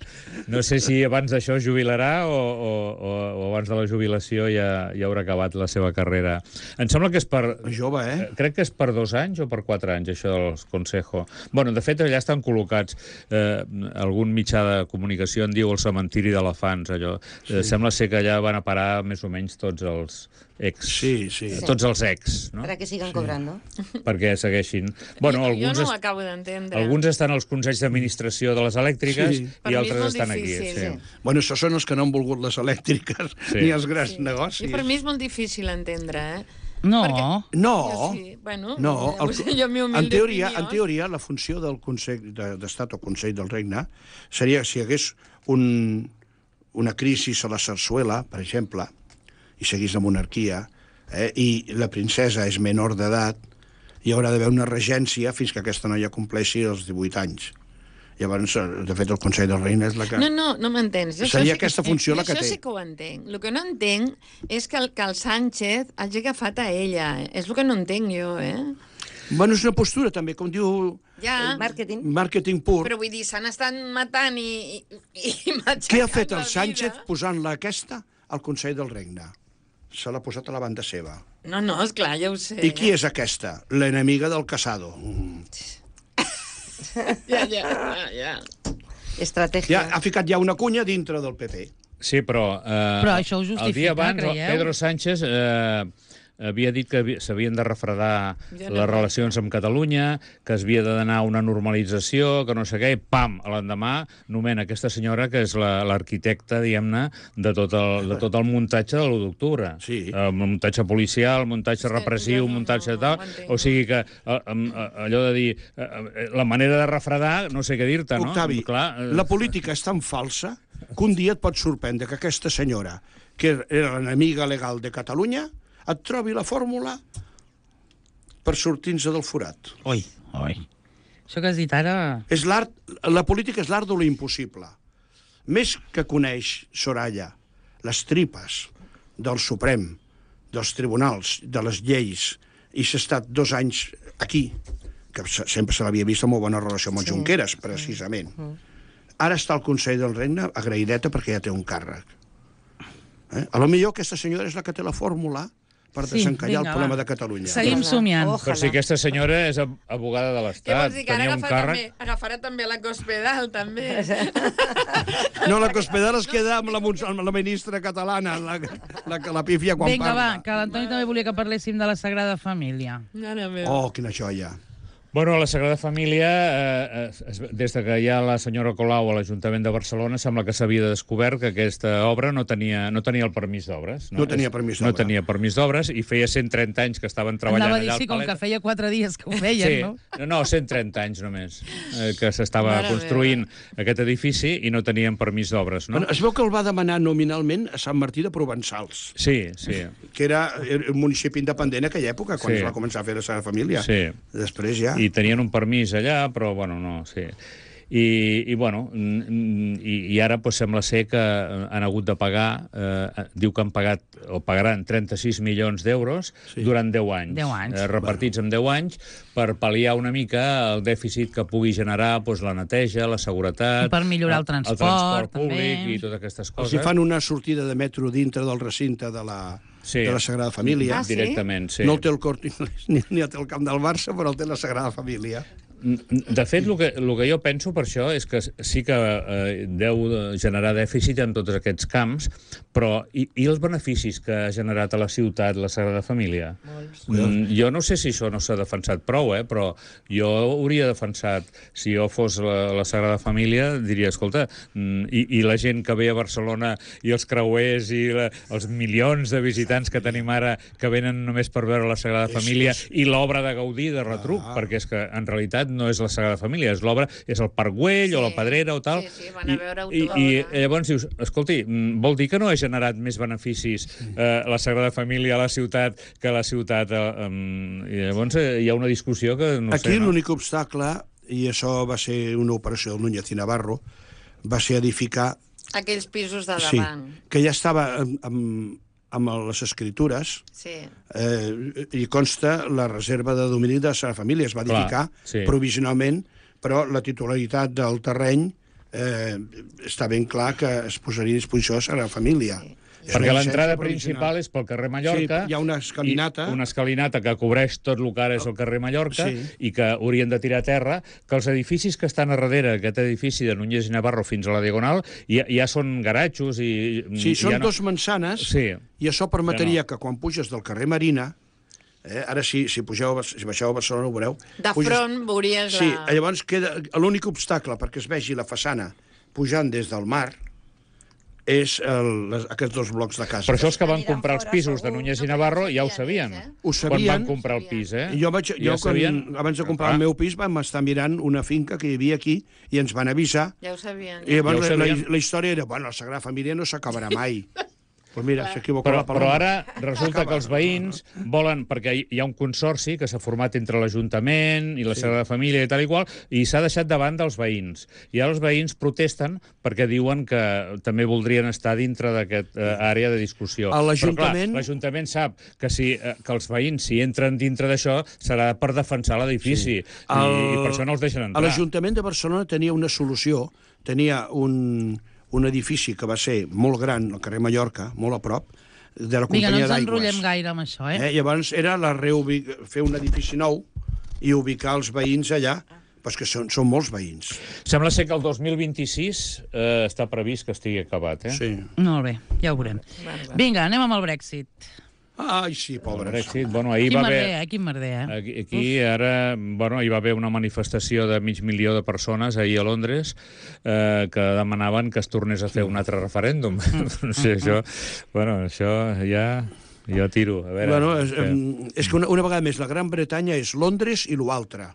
No sé si abans d'això es jubilarà o, o, o, o abans de la jubilació ja, ja haurà acabat la seva carrera. Em sembla que és per...
Jove, eh?
Crec que és per dos anys o per quatre anys, això del Consejo. Bueno, de fet, allà estan col·locats. Eh, algun mitjà de comunicació en diu el cementiri d'elefants, allò. Sí. Eh, sembla ser que allà van a parar més o menys tots els ex.
Sí, sí.
Tots els ex, no?
Para que sigan sí. cobrando.
Perquè segueixin. Bueno, alguns
jo no ho acabo d'entendre.
Alguns estan als consells d'administració de les elèctriques
Sí.
i altres estan aquí.
difícil,
Sí.
sí.
Bueno, això són els que no han volgut les elèctriques
Sí.
ni els grans
Sí.
negocis.
I per mi és molt difícil entendre, eh?
No,
Perquè-
No,
Jo sí, bueno,
no.
el, jo, mi humilde
en, teoria,
opinió.
en teoria, la funció del Consell de- d'Estat o Consell del Regne seria si hi hagués un, una crisi a la Sarsuela, per exemple, i seguís la monarquia, eh, i la princesa és menor d'edat, hi haurà d'haver una regència fins que aquesta noia compleixi els divuit anys. Llavors, de fet, el Consell del Regne és la que...
No, no, no m'entens. Jo
Seria
això sí-
aquesta funció la que
Això
té.
sí que ho entenc. El que no entenc és que el, que el Sánchez hagi agafat a ella. És el que no entenc jo, eh?
Bueno, és una postura, també, com diu
Ja,
Marketing.
màrqueting pur.
però vull dir, s'han estat matant i, i, i matxacant
Què ha fet
la
el Sánchez
vida.
posant-la aquesta al Consell del Regne? Se l'ha posat a la banda seva.
No, no, esclar, ja ho sé.
I qui és aquesta? L'enemiga del Casado. Mm.
Ja, ja, ja, ja.
Estrategia.
Ja, ha ficat ja una cunya dintre del P P.
Sí, però... Eh,
Però això ho
el
justifica,
dia abans,
creieu?
Pedro Sánchez eh, havia dit que havi- s'havien de refredar
Ja no
les
pot.
relacions amb Catalunya, que es havia d'anar a una normalització, que no sé què, i pam, a l'endemà nomena aquesta senyora que és la- l'arquitecta, diguem-ne, de, tot el, de tot el muntatge de l'u d'octubre.
Sí.
Eh, El muntatge policial, el muntatge
que
repressiu,
jo
el
no-
muntatge
no-
tal...
no ho entenc.
O sigui que eh, eh, allò de dir... eh, eh, la manera de refredar, no sé què dir-te, no?
Octavi,
Clar, eh,
la política és tan falsa que un dia et pot sorprendre que aquesta senyora, que era l'enemiga legal de Catalunya, et trobi la fórmula per sortir-nos del forat.
Oi, oi. Això que has dit ara...
És l'art, la política és l'art de lo impossible. Més que coneix Soraya les tripes del Suprem, dels tribunals, de les lleis, i s'ha estat dos anys aquí, que se- sempre se l'havia vist amb molt bona relació amb el
Sí.
Junqueras, precisament. Ara està al Consell del Regne agraïdeta perquè ja té un càrrec. Eh? A lo millor aquesta senyora és la que té la fórmula per
Sí,
desencallar
vinga,
el problema
va.
de Catalunya.
Seguim
Ojalà.
somiant.
Ojalà.
Però si aquesta senyora és ab- abogada de
Què
l'Estat,
vols dir, que ara
tenia un
agafarà,
càrrec...
també, agafarà també la Cospedal, també?
No, la Cospedal es queda amb la, Mons- amb la ministra catalana, la, la que la pífia quan
Vinga, va,
parla.
que l'Antoni també volia que parléssim de la Sagrada Família.
Mare meva.
Oh, quina joia.
Bueno, la Sagrada Família, eh, es, es, des de que hi ha la senyora Colau a l'Ajuntament de Barcelona, sembla que s'havia descobert que aquesta obra no tenia, no tenia el permís d'obres.
No tenia permís
No
d'obra.
tenia permís d'obres i feia cent trenta anys que estaven treballant
Anava a dir,
allà
sí,
al
com
Palet.
que feia quatre dies que ho feien,
Sí,
no?
no, no, cent trenta anys només, eh, que s'estava
Mare
construint aquest edifici i no tenien permís d'obres, no?
Bueno, es veu que el va demanar nominalment a Sant Martí de Provençals,
Sí, sí.
que era un municipi independent en aquella època, quan
Sí.
es va començar a fer la Sagrada Família.
Sí.
Després ja...
I tenien un permís allà, però, bueno, no, sí. I, i bueno, mm, i, i ara pues, sembla ser que han hagut de pagar, eh, diu que han pagat, o pagaran trenta-sis milions d'euros
Sí.
durant deu anys.
deu anys.
Eh, repartits en deu anys per pal·liar una mica el dèficit que pugui generar pues, la neteja, la seguretat...
I per millorar el transport,
el transport públic
també.
i totes aquestes
Els
coses.
hi fan una sortida de metro dintre del recinte de la,
Sí.
de la Sagrada Família.
Ah, sí?
Directament, sí.
No el té el Corte Inglés ni, ni el té el camp del Barça, però el té la Sagrada Família.
De fet, el que, el que jo penso per això és que sí que eh, deu generar dèficit en tots aquests camps, però i, i els beneficis que ha generat a la ciutat la Sagrada Família? Mm, jo no sé si això no s'ha defensat prou, eh, però jo hauria defensat, si jo fos la, la Sagrada Família, diria, escolta, mm, i, i la gent que ve a Barcelona i els creuers i la, els milions de visitants que tenim ara que venen només per veure la Sagrada Família i l'obra de Gaudí de retruc,
Ah.
perquè és que en realitat no és la Sagrada Família, és l'obra, és el Parc Güell
Sí.
o la Pedrera o tal.
Sí, sí, van a veure
I,
autoobra.
i, I llavors dius, escolti, mm, vol dir que no ha generat més beneficis eh, la Sagrada Família a la ciutat que la ciutat... Eh, um, I llavors eh, hi ha una discussió que no
Aquí
sé... No?
l'únic obstacle, i això va ser una operació del Núñez i Navarro, va ser edificar...
Aquells pisos de
Sí,
davant.
que ja estava amb, amb, amb les escritures,
Sí.
eh, i consta la reserva de domini de la família. Es va
Clar,
edificar
sí.
provisionalment, però la titularitat del terreny eh, està ben clar que es posaria a disposició de la família. Sí.
Perquè l'entrada principal és pel carrer Mallorca.
Sí, hi ha una escalinata.
Una escalinata que cobreix tot el que ara és el carrer Mallorca
Sí.
i que haurien de tirar a terra, que els edificis que estan a darrere, aquest edifici de Núñez i Navarro fins a la Diagonal, ja, ja són garatxos i...
Sí, són
ja no...
dos mansanes,
Sí.
i això permetria
Ja no.
que quan puges del carrer Marina, eh, ara sí, si, pugeu, a Bar- si baixeu a Barcelona ho veureu...
De
puges-
front veuries
Sí,
la...
llavors queda l'únic obstacle perquè es vegi la façana pujant des del mar és el, les, aquests dos blocs de casa.
Per això els que van
Aniran
comprar els
fora,
pisos de
segur.
Núñez i
No,
Navarro
perquè
ja ho
ho
sabien.
sabien,
Ho
Quan
sabien.
van comprar el pis, eh?
Jo, vaig, jo
Ja
quan,
sabien.
abans de comprar
Clar.
el meu pis vam estar mirant una finca que hi havia aquí i ens van avisar.
Ja ho sabien.
I llavors
Ja ho
la, la,
sabien.
la història era, bueno, la Sagrada Família no s'acabarà mai. Pues mira, s'equivoca
Però,
la
però
paraula.
ara resulta que els veïns volen, perquè hi- hi ha un consorci que s'ha format entre l'Ajuntament i la
Sí.
Sagrada Família i tal i qual, i s'ha deixat de banda els veïns. I ara els veïns protesten perquè diuen que també voldrien estar dintre d'aquesta uh, àrea de discussió.
A l'Ajuntament-
Però, clar, l'Ajuntament sap que, si, eh, que els veïns, si entren dintre d'això, serà per defensar l'edifici. Sí. I, I per això no els deixen
A
entrar.
l'Ajuntament de Barcelona tenia una solució, tenia un, un edifici que va ser molt gran al carrer Mallorca, molt a prop, de la
Vinga, no
companyia
ens enrotllem
d'aigües.
gaire amb això, eh?
Eh? Llavors era la reubic... fer un edifici nou i ubicar els veïns allà, però que són, són molts veïns.
Sembla ser que el dos mil vint-i-sis eh, està previst que estigui acabat, eh?
Sí.
Molt bé, ja ho veurem. Vinga, anem amb el Brexit.
Ai, sí,
El
pobres.
Brexit, bueno, ahir
Quin
va
merder,
haver...
eh? Quin merder, eh?
Aquí, aquí ara, bueno, hi va haver una manifestació de mig milió de persones ahir a Londres eh, que demanaven que es tornés a fer un altre referèndum. No sé, això... Bueno, això ja... Jo tiro, a veure...
Bueno, és,
que...
em, és que una, una vegada més la Gran Bretanya és Londres i l'altre.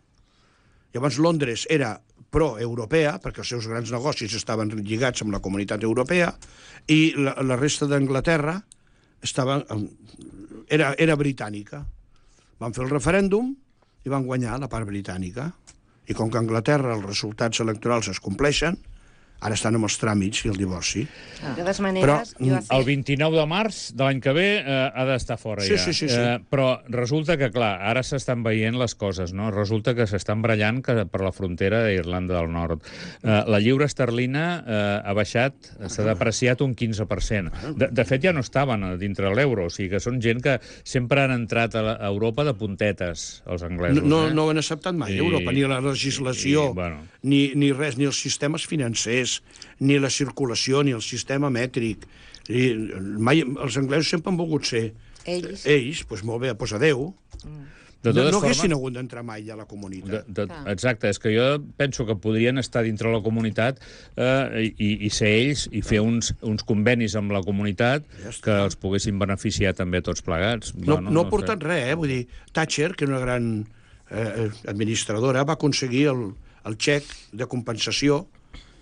Llavors Londres era pro-europea, perquè els seus grans negocis estaven lligats amb la comunitat europea, i la, la resta d'Anglaterra estava, em, era, era britànica. Van fer el referèndum i van guanyar la part britànica. I com que a Anglaterra els resultats electorals es compleixen, ara estan amb els tràmits i el divorci.
De todas maneras,
Però,
yo
El
hace...
vint-i-nou de març de l'any que ve eh, ha d'estar fora
Sí,
ja.
sí, sí, sí.
Eh, però resulta que, clar, ara s'estan veient les coses, no? Resulta que s'estan brallant que per la frontera d'Irlanda del Nord. Eh, la lliura esterlina eh, ha baixat, s'ha depreciat un quinze per cent. De, de fet, ja no estaven a dintre l'euro, o sigui que són gent que sempre han entrat a, la, a Europa de puntetes, els anglesos.
No,
eh?
no ho han acceptat mai,
I-
Europa, ni la legislació,
i, bueno.
ni, ni res, ni els sistemes financers, ni la circulació, ni el sistema mètric. I mai, els anglesos sempre han volgut ser
Ells.
ells, doncs molt bé, doncs adeu.
De
No,
totes
no
formes-
haguessin hagut d'entrar mai a la
De,
comunitat.
de, exacte, és que jo penso que podrien estar dintre la comunitat eh, i, i ser ells i fer uns, uns convenis amb la comunitat
Ja està.
que els poguessin beneficiar també tots plegats.
No,
Bueno,
no ha
sé.
portat res, eh? Vull dir, Thatcher, que era una gran eh, administradora, va aconseguir el, el xec de compensació,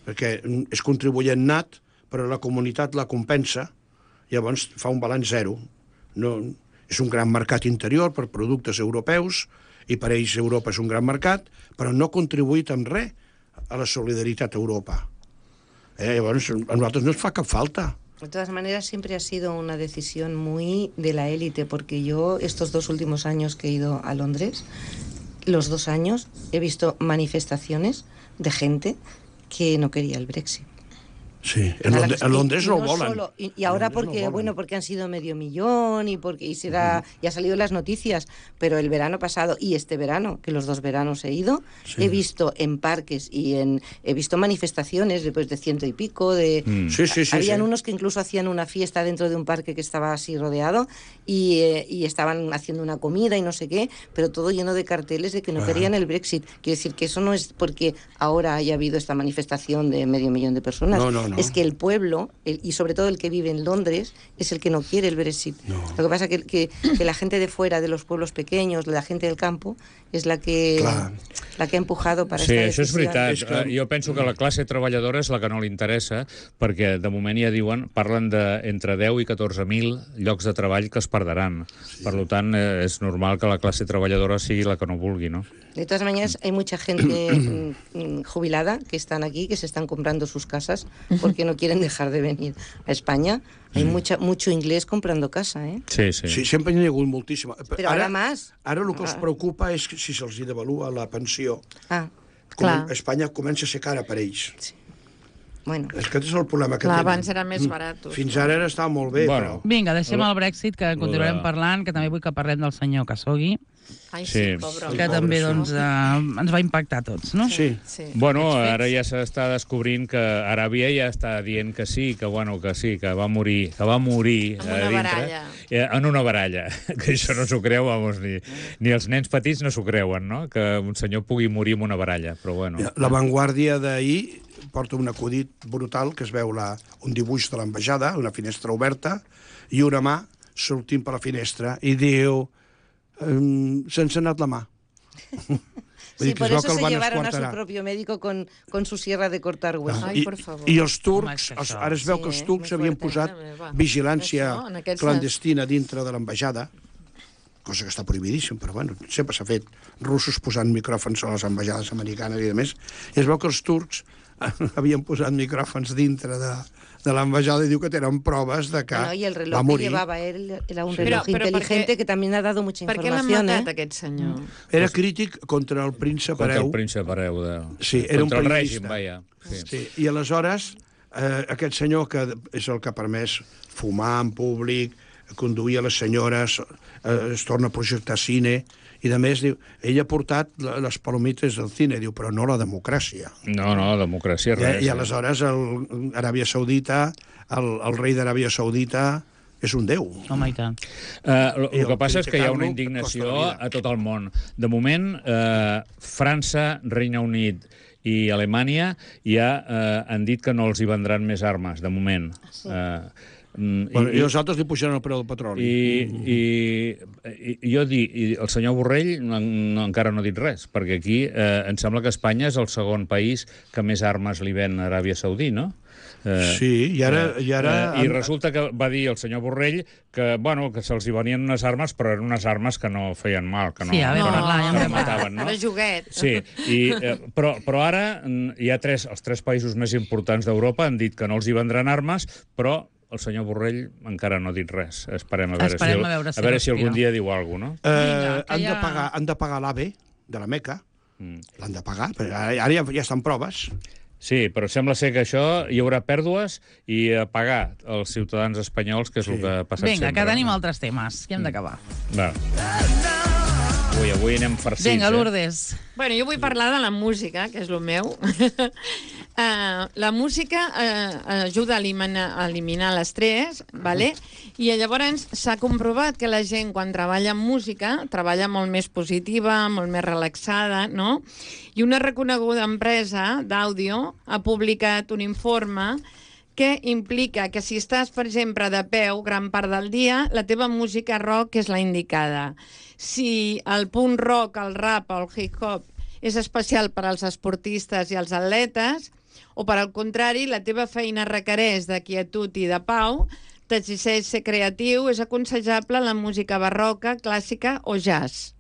perquè és contribuent nat, però la comunitat la compensa, llavors fa un balanç zero. No, és un gran mercat interior per productes europeus, i per ells Europa és un gran mercat, però no ha contribuït en res a la solidaritat a Europa. Eh, llavors, a nosaltres no ens fa cap falta.
De todas maneras, siempre ha sido una decisión muy de la élite, porque yo estos dos últimos años que he ido a Londres, los dos años, he visto manifestaciones de gente que no quería el Brexit.
Sí, en,
A la
Londres,
que-
en Londres
y
no,
no
volen.
solo- y, y ahora
En Londres no
porque,
volen.
bueno, porque han sido medio millón y porque y será, y ha salido en las noticias, pero el verano pasado y este verano, que los dos veranos he ido,
Sí.
he visto en parques y en he visto manifestaciones después de ciento y pico de
Mm.
Sí, sí, sí.
habían
sí.
unos que incluso hacían una fiesta dentro de un parque que estaba así rodeado y, eh, y estaban haciendo una comida y no sé qué, pero todo lleno de carteles de que no querían el Brexit. Quiero decir que eso no es porque ahora haya habido esta manifestación de medio millón de personas.
No, no, no. no.
es que el pueblo, el, y sobre todo el que vive en Londres, es el que no quiere el Brexit.
No.
Lo que pasa que, que, que la gente de fuera, de los pueblos pequeños, la gente del campo, és la que,
Clar.
la que ha empujado para
Sí,
esta
això és
decisión.
veritat.
És que-
Eh, Jo penso que la classe treballadora és la que no li interessa, perquè de moment ja diuen, parlen de entre deu i catorze mil llocs de treball que es perdran. Sí. Per tant, eh, és normal que la classe treballadora sigui la que no vulgui, no?
De todas maneras, hay mucha gente mm, jubilada que están aquí, que se están comprando sus casas porque no quieren dejar de venir a España. Hay mucha, mucho inglés comprando casa, ¿eh?
Sí, sí.
Sí, sempre n'hi ha hagut moltíssima.
Però ara més.
Ara el que els
Ah.
preocupa és que si se'ls hi devalua la pensió.
Ah,
Com
Clar.
Espanya comença a ser cara per ells.
bueno.
És que aquest és el problema que
Clar,
tenen.
abans era més barat.
Fins ara era estava molt bé,
Bueno.
però...
Vinga, deixem el Brexit, que continuarem
de-
parlant, que també vull que parlem del senyor Khashoggi,
Ai,
Sí.
sí, pobre.
que
Ai,
també
pobre,
doncs, eh, ens va impactar a tots, no?
Sí.
Sí.
Bueno,
Aquests
ara
fets.
ja s'està descobrint que Aràbia ja està dient que sí, que bueno, que sí, que va morir, que va morir
En
a
una
dintre.
baralla.
Eh, En una baralla. Que això no s'ho creu, vamos, ni, ni els nens petits no s'ho creuen, no? Que un senyor pugui morir en una baralla, però bueno.
La Vanguardia d'ahir porta un acudit brutal que es veu la, un dibuix de l'ambaixada, una finestra oberta, i una mà sortint per la finestra i diu ehm, se'ns ha anat la mà. Vull
Sí,
dir que
por
es veu
eso
que el
se
van
llevaron a su
esquarterar.
propio médico con, con su sierra de cortar huesos.
Ai,
I,
per favor.
I els
Home,
turcs,
és que
els,
això-
ara es veu que
Sí,
els turcs
molt
havien
fuerte,
posat
també, va.
vigilància
Això, en aquests
clandestina dintre de l'ambaixada, cosa que està prohibidíssima, però bueno, sempre s'ha fet russos posant micròfons a les ambaixades americanes i demés, i es veu que els turcs havien posat micròfons dintre de, de l'ambaixada i diu que tenen proves de que
Bueno, y el
va
reloj que
morir.
llevaba él era un
Pero-
reloj
pero ¿por
inteligente
qué-
que también ha dado mucha
Per què l'han
información.
matat,
¿eh?
aquest senyor?
Era crític contra el príncep
Contra
hereu.
el príncep hereu. De...
Sí, era un
Contra el
periodista.
règim, vaja. Sí.
Sí, i aleshores eh, aquest senyor, que és el que ha permès fumar en públic, conduir a les senyores, eh, es torna a projectar cine, i de més diu, ell ha portat la- les palomites del cine, diu, però no la democràcia.
No, no, democràcia, res.
I, i aleshores el, Aràbia Saudita, el, el rei d'Aràbia Saudita és un déu.
Home, i tant.
Uh, el,
I
el que
el
passa és que hi ha una
criticar-lo
indignació
costa la vida.
a tot el món. De moment, eh, França, Regne Unit i Alemanya ja eh, han dit que no els hi vendran més armes, de moment. Sí. Eh, mm,
Bueno, I, I els altres li pujaran el preu del petroli.
I, i, i jo dic, i el senyor Borrell no, no, encara no ha dit res, perquè aquí eh, em sembla que Espanya és el segon país que més armes li ven a Aràbia Saudí, no? Eh,
Sí, i ara... I, ara
eh, I resulta que va dir el senyor Borrell que, bueno, que se'ls hi venien unes armes, però eren unes armes que no feien mal, que no,
Sí, a veure,
que no,
clar, ja
que
en
no
vam
mataven, no?
Era joguet.
Sí, i, eh, però, però ara mm, hi ha tres, els tres països més importants d'Europa han dit que no els hi vendran armes, però el senyor Borrell encara no ha dit res. Esperem a veure,
Esperem
si, el,
a veure si
a veure si
respira.
algun dia diu alguna cosa, no?
Eh,
Vinga, que
han,
ja-
de pagar, han de pagar l'AVE de la Meca,
Mm.
l'han de pagar, perquè ara, ara ja, ja estan proves.
Sí, però sembla ser que això hi haurà pèrdues i a pagar als ciutadans espanyols, que és
Sí.
el que ha passat
Vinga,
sempre.
que tenim altres temes, que hem d'acabar.
Va. Avui, avui anem farcits,
Vinga,
eh?
Lourdes.
Bueno, jo vull parlar de la música, que és el meu. uh, la música uh, ajuda a eliminar, a eliminar l'estrès, vale? I llavors s'ha comprovat que la gent, quan treballa amb música, treballa molt més positiva, molt més relaxada, no? I una reconeguda empresa d'àudio ha publicat un informe que implica que si estàs, per exemple, de peu gran part del dia, la teva música rock és la indicada. Si el punt rock, el rap o el hip-hop és especial per als esportistes i els atletes, o per al contrari, la teva feina requereix de quietud i de pau, t'exigeix ser creatiu, és aconsellable la música barroca, clàssica o jazz.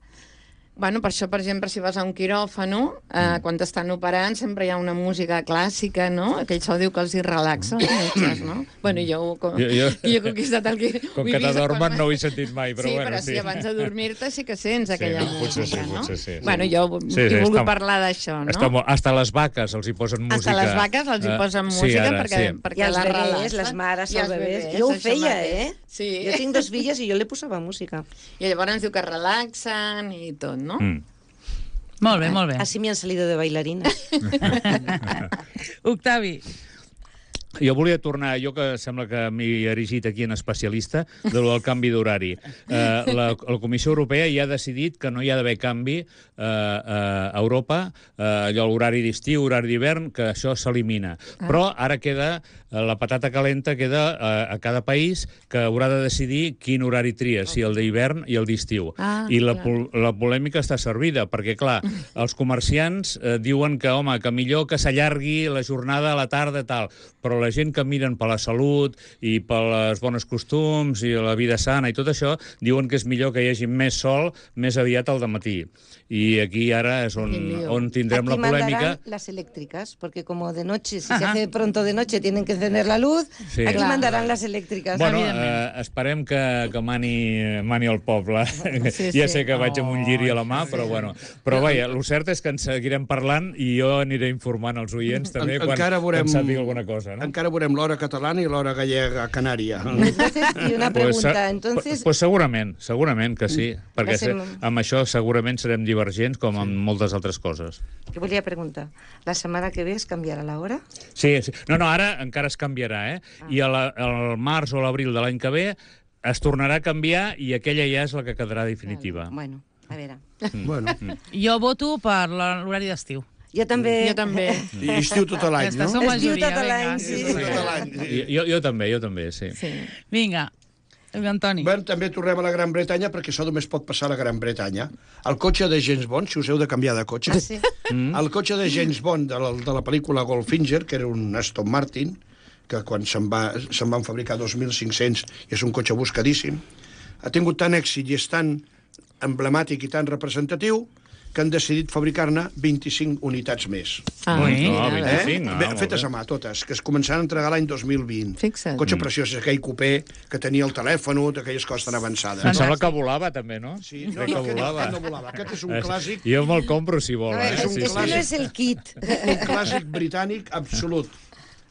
Bueno, per això, per exemple, si vas a un quiròfano, eh, quan t'estan operant, sempre hi ha una música clàssica, no? Que això diu que els hi relaxa, els metges, no? Bueno, jo, com,
Jo- jo-
jo he conquistat el que...
Com
ho he
que
vist
t'adormen
quan-
no ho he sentit mai, però
sí,
bueno,
però
sí.
si abans de dormir-te sí que sents
Sí,
aquella
no, potser
música,
sí,
no?
potser sí, sí.
Bueno, jo
Sí,
he
sí,
volgut
està-
parlar d'això, no?
Està molt... Hasta les vaques els hi posen música.
Hasta les vaques els hi
Eh,
posen
sí,
música
ara,
perquè,
sí.
perquè
I els
la
bebès,
relaxen.
les mares,
I
els bebès.
bebès,
Jo ho
això
feia,
mateix.
eh?
Sí.
Jo tinc dos filles i jo li posava música.
I llavors diu que relaxen i tot, no?
Mm.
Molt bé, molt bé.
Así me han salido de bailarina.
Octavi.
Jo volia tornar, jo que sembla que m'he erigit aquí en especialista, de lo del canvi d'horari. Eh, la, la Comissió Europea ja ha decidit que no hi ha d'haver canvi eh, a Europa, eh, allò l'horari d'estiu, horari d'hivern, que això s'elimina. Ah. Però ara queda, eh, la patata calenta queda eh, a cada país que haurà de decidir quin horari tria, si el d'hivern i el d'estiu.
Ah,
I la,
clar.
la polèmica està servida, perquè, clar, els comerciants eh, diuen que, home, que millor que s'allargui la jornada a la tarda i tal, però la gent que miren per la salut i per les bones costums i la vida sana i tot això, diuen que és millor que hi hagi més sol més aviat al dematí. Y aquí ahora es on, on tindrem
aquí
la polèmica.
mandarán las eléctricas, porque como de noche, si Ajá. se hace pronto de noche, tienen que encender la luz, sí. aquí claro. mandarán las eléctricas.
Bueno, eh, esperem que, que mani, mani el poble. Sí, ja sé que oh, vaig amb un lliri a la mà, sí. però bueno. Però vaja, el cert és que en seguirem parlant i jo aniré informant els oients també en, quan,
veurem,
quan sàpiga alguna cosa. No?
Encara veurem l'hora catalana i l'hora gallega canària.
Entonces, y una pregunta, pues, entonces...
Pues segurament, segurament que sí, perquè se, amb això segurament serem divergents com amb moltes altres coses.
Que volia preguntar, la setmana que ve es canviarà l'hora?
Sí, sí, no, no, ara encara es canviarà, eh? Ah. I al març o l'abril de l'any que ve es tornarà a canviar i aquella ja és la que quedarà definitiva.
Vale. Bueno, a veure.
Mm.
Bueno.
Mm. Jo voto per l'horari d'estiu.
Jo també.
Jo també.
I estiu tot l'any, no?
Estiu tot l'any, sí.
sí. Jo, jo també, jo també, sí.
sí. Vinga, Antoni.
Bé, també tornem a la Gran Bretanya, perquè això només pot passar a la Gran Bretanya. El cotxe de James Bond, si us heu de canviar de cotxe,
sí.
mm. el cotxe de James Bond de la, de la pel·lícula Goldfinger, que era un Aston Martin, que quan se'n va, se'n van fabricar dos mil cinc-cents i és un cotxe buscadíssim, ha tingut tant èxit i és tan emblemàtic i tan representatiu que han decidit fabricar-ne vint-i-cinc unitats més.
Ah,
no,
mira,
vint-i-cinc,
eh? no, fetes a mà, totes, que es començaran a entregar l'any dos mil vint.
Fixa't.
Cotxe preciós, aquell cupé que tenia el telèfon, d'aquelles coses tan avançades.
Em sembla que volava, també, no?
Sí, no, no, que volava. no volava. Aquest és un clàssic...
Jo me'l compro, si vol.
No,
eh?
és,
Sí,
és
sí.
que no és el kit.
Un clàssic britànic absolut.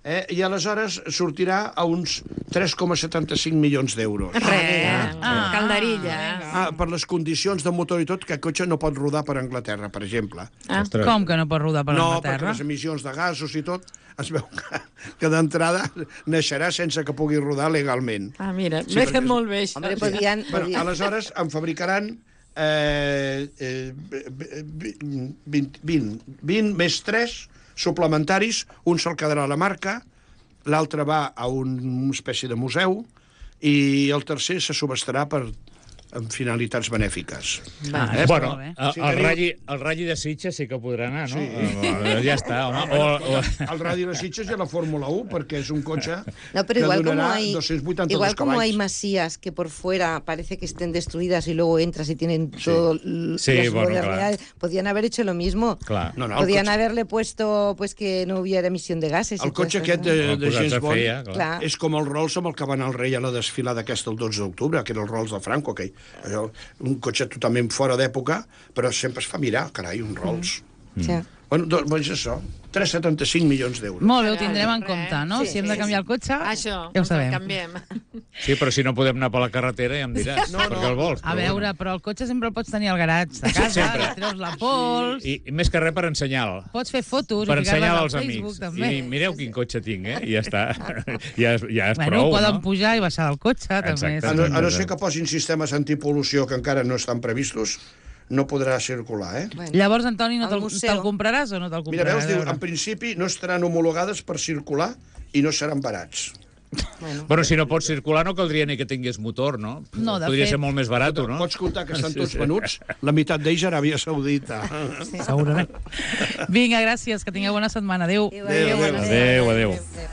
Eh? I aleshores sortirà a uns tres coma setanta-cinc milions d'euros.
Res,
Ah,
calderilla.
Ah, per les condicions de motor i tot, que el cotxe no pot rodar per Anglaterra, per exemple.
Ah.
Com que no pot rodar per
No,
Anglaterra?
perquè les emissions de gasos i tot, es veu que, que d'entrada naixerà sense que pugui rodar legalment.
Ah, mira,
Sí,
m'he
perquè-
fet molt bé, això.
Hombre, podien...
Però,
podien...
aleshores en fabricaran eh, eh, vint, vint, vint més tres suplementaris, un se'l quedarà a la marca, l'altre va a un, una espècie de museu i el tercer se subestarà per amb finalitats benèfiques.
Va,
Eh,
Bueno,
molt bé.
el,
Sí,
el,
teniu-
ratll, el ratll de Sitges sí que podrà anar, no?
Sí.
Eh, Ja està, home. O, o...
El Radi de Sitges i la Fórmula u, perquè és un cotxe
No, pero
que
igual como
donarà
hay,
dos-cents vuitanta-dos
igual como hay
cavalls.
masías que por fuera parece que estén destruidas y luego entras y tienen todo l-
Sí,
las
bueno,
modernidades, podían haber hecho lo mismo.
Clar.
No, no, el
Podían
cotxe,
haberle puesto pues que no hubiera emisión de gases. y
el
todo
cotxe
esto,
aquest
¿no?
de, de
Posats
James
a
Bond
fer, ja, clar.
Clar.
és com el Rolls amb el que va anar el rei a la desfilada aquesta el dotze d'octubre, que era el Rolls de Franco, que allò, un cotxe totalment fora d'època, però sempre es fa mirar, carai, un Rolls.
O sea,
Bueno, doncs, doncs això, tres coma setanta-cinc milions d'euros.
Molt bé, ho tindrem en
Res.
compte, no?
Sí,
si hem
sí,
de canviar el cotxe,
Això,
ja ho sabem.
canviem.
Sí, però si no podem anar per la carretera ja em diràs,
No, no.
perquè el vols.
A
però
veure,
bueno.
però el cotxe sempre el pots tenir al garatge de casa,
Sempre.
li treus la pols,
I, I més que res per ensenyar-lo.
pots fer fotos
Per
i ficar-les
ensenyar
al
als
Facebook,
amics.
també.
I mireu quin cotxe tinc, eh? I ja està. Ja és, ja és
Bueno,
prou,
poden
no?
pujar i baixar del cotxe, també.
Exacte.
A no, a no ser que posin sistemes antipol·lució que encara no estan previstos, no podrà circular, eh?
bueno.
Llavors, Antoni, no
Al
te'l
museu.
te compraràs o no te'l
Mira,
compraràs?
veus, diu,
A veure.
en principi no estaran homologades per circular i no seran barats.
Bueno.
Bueno, si no pots circular no caldria ni que tingués motor, no?
No, de
Podria
fet-
ser molt més barat, no?
Pots comptar que estan tots venuts? La meitat d'ells a Aràbia Saudita.
Segurament. Vinga, gràcies, que tingueu bona setmana. Adéu.
Adéu,
Adéu,
adéu,
Adéu, adéu.
adéu.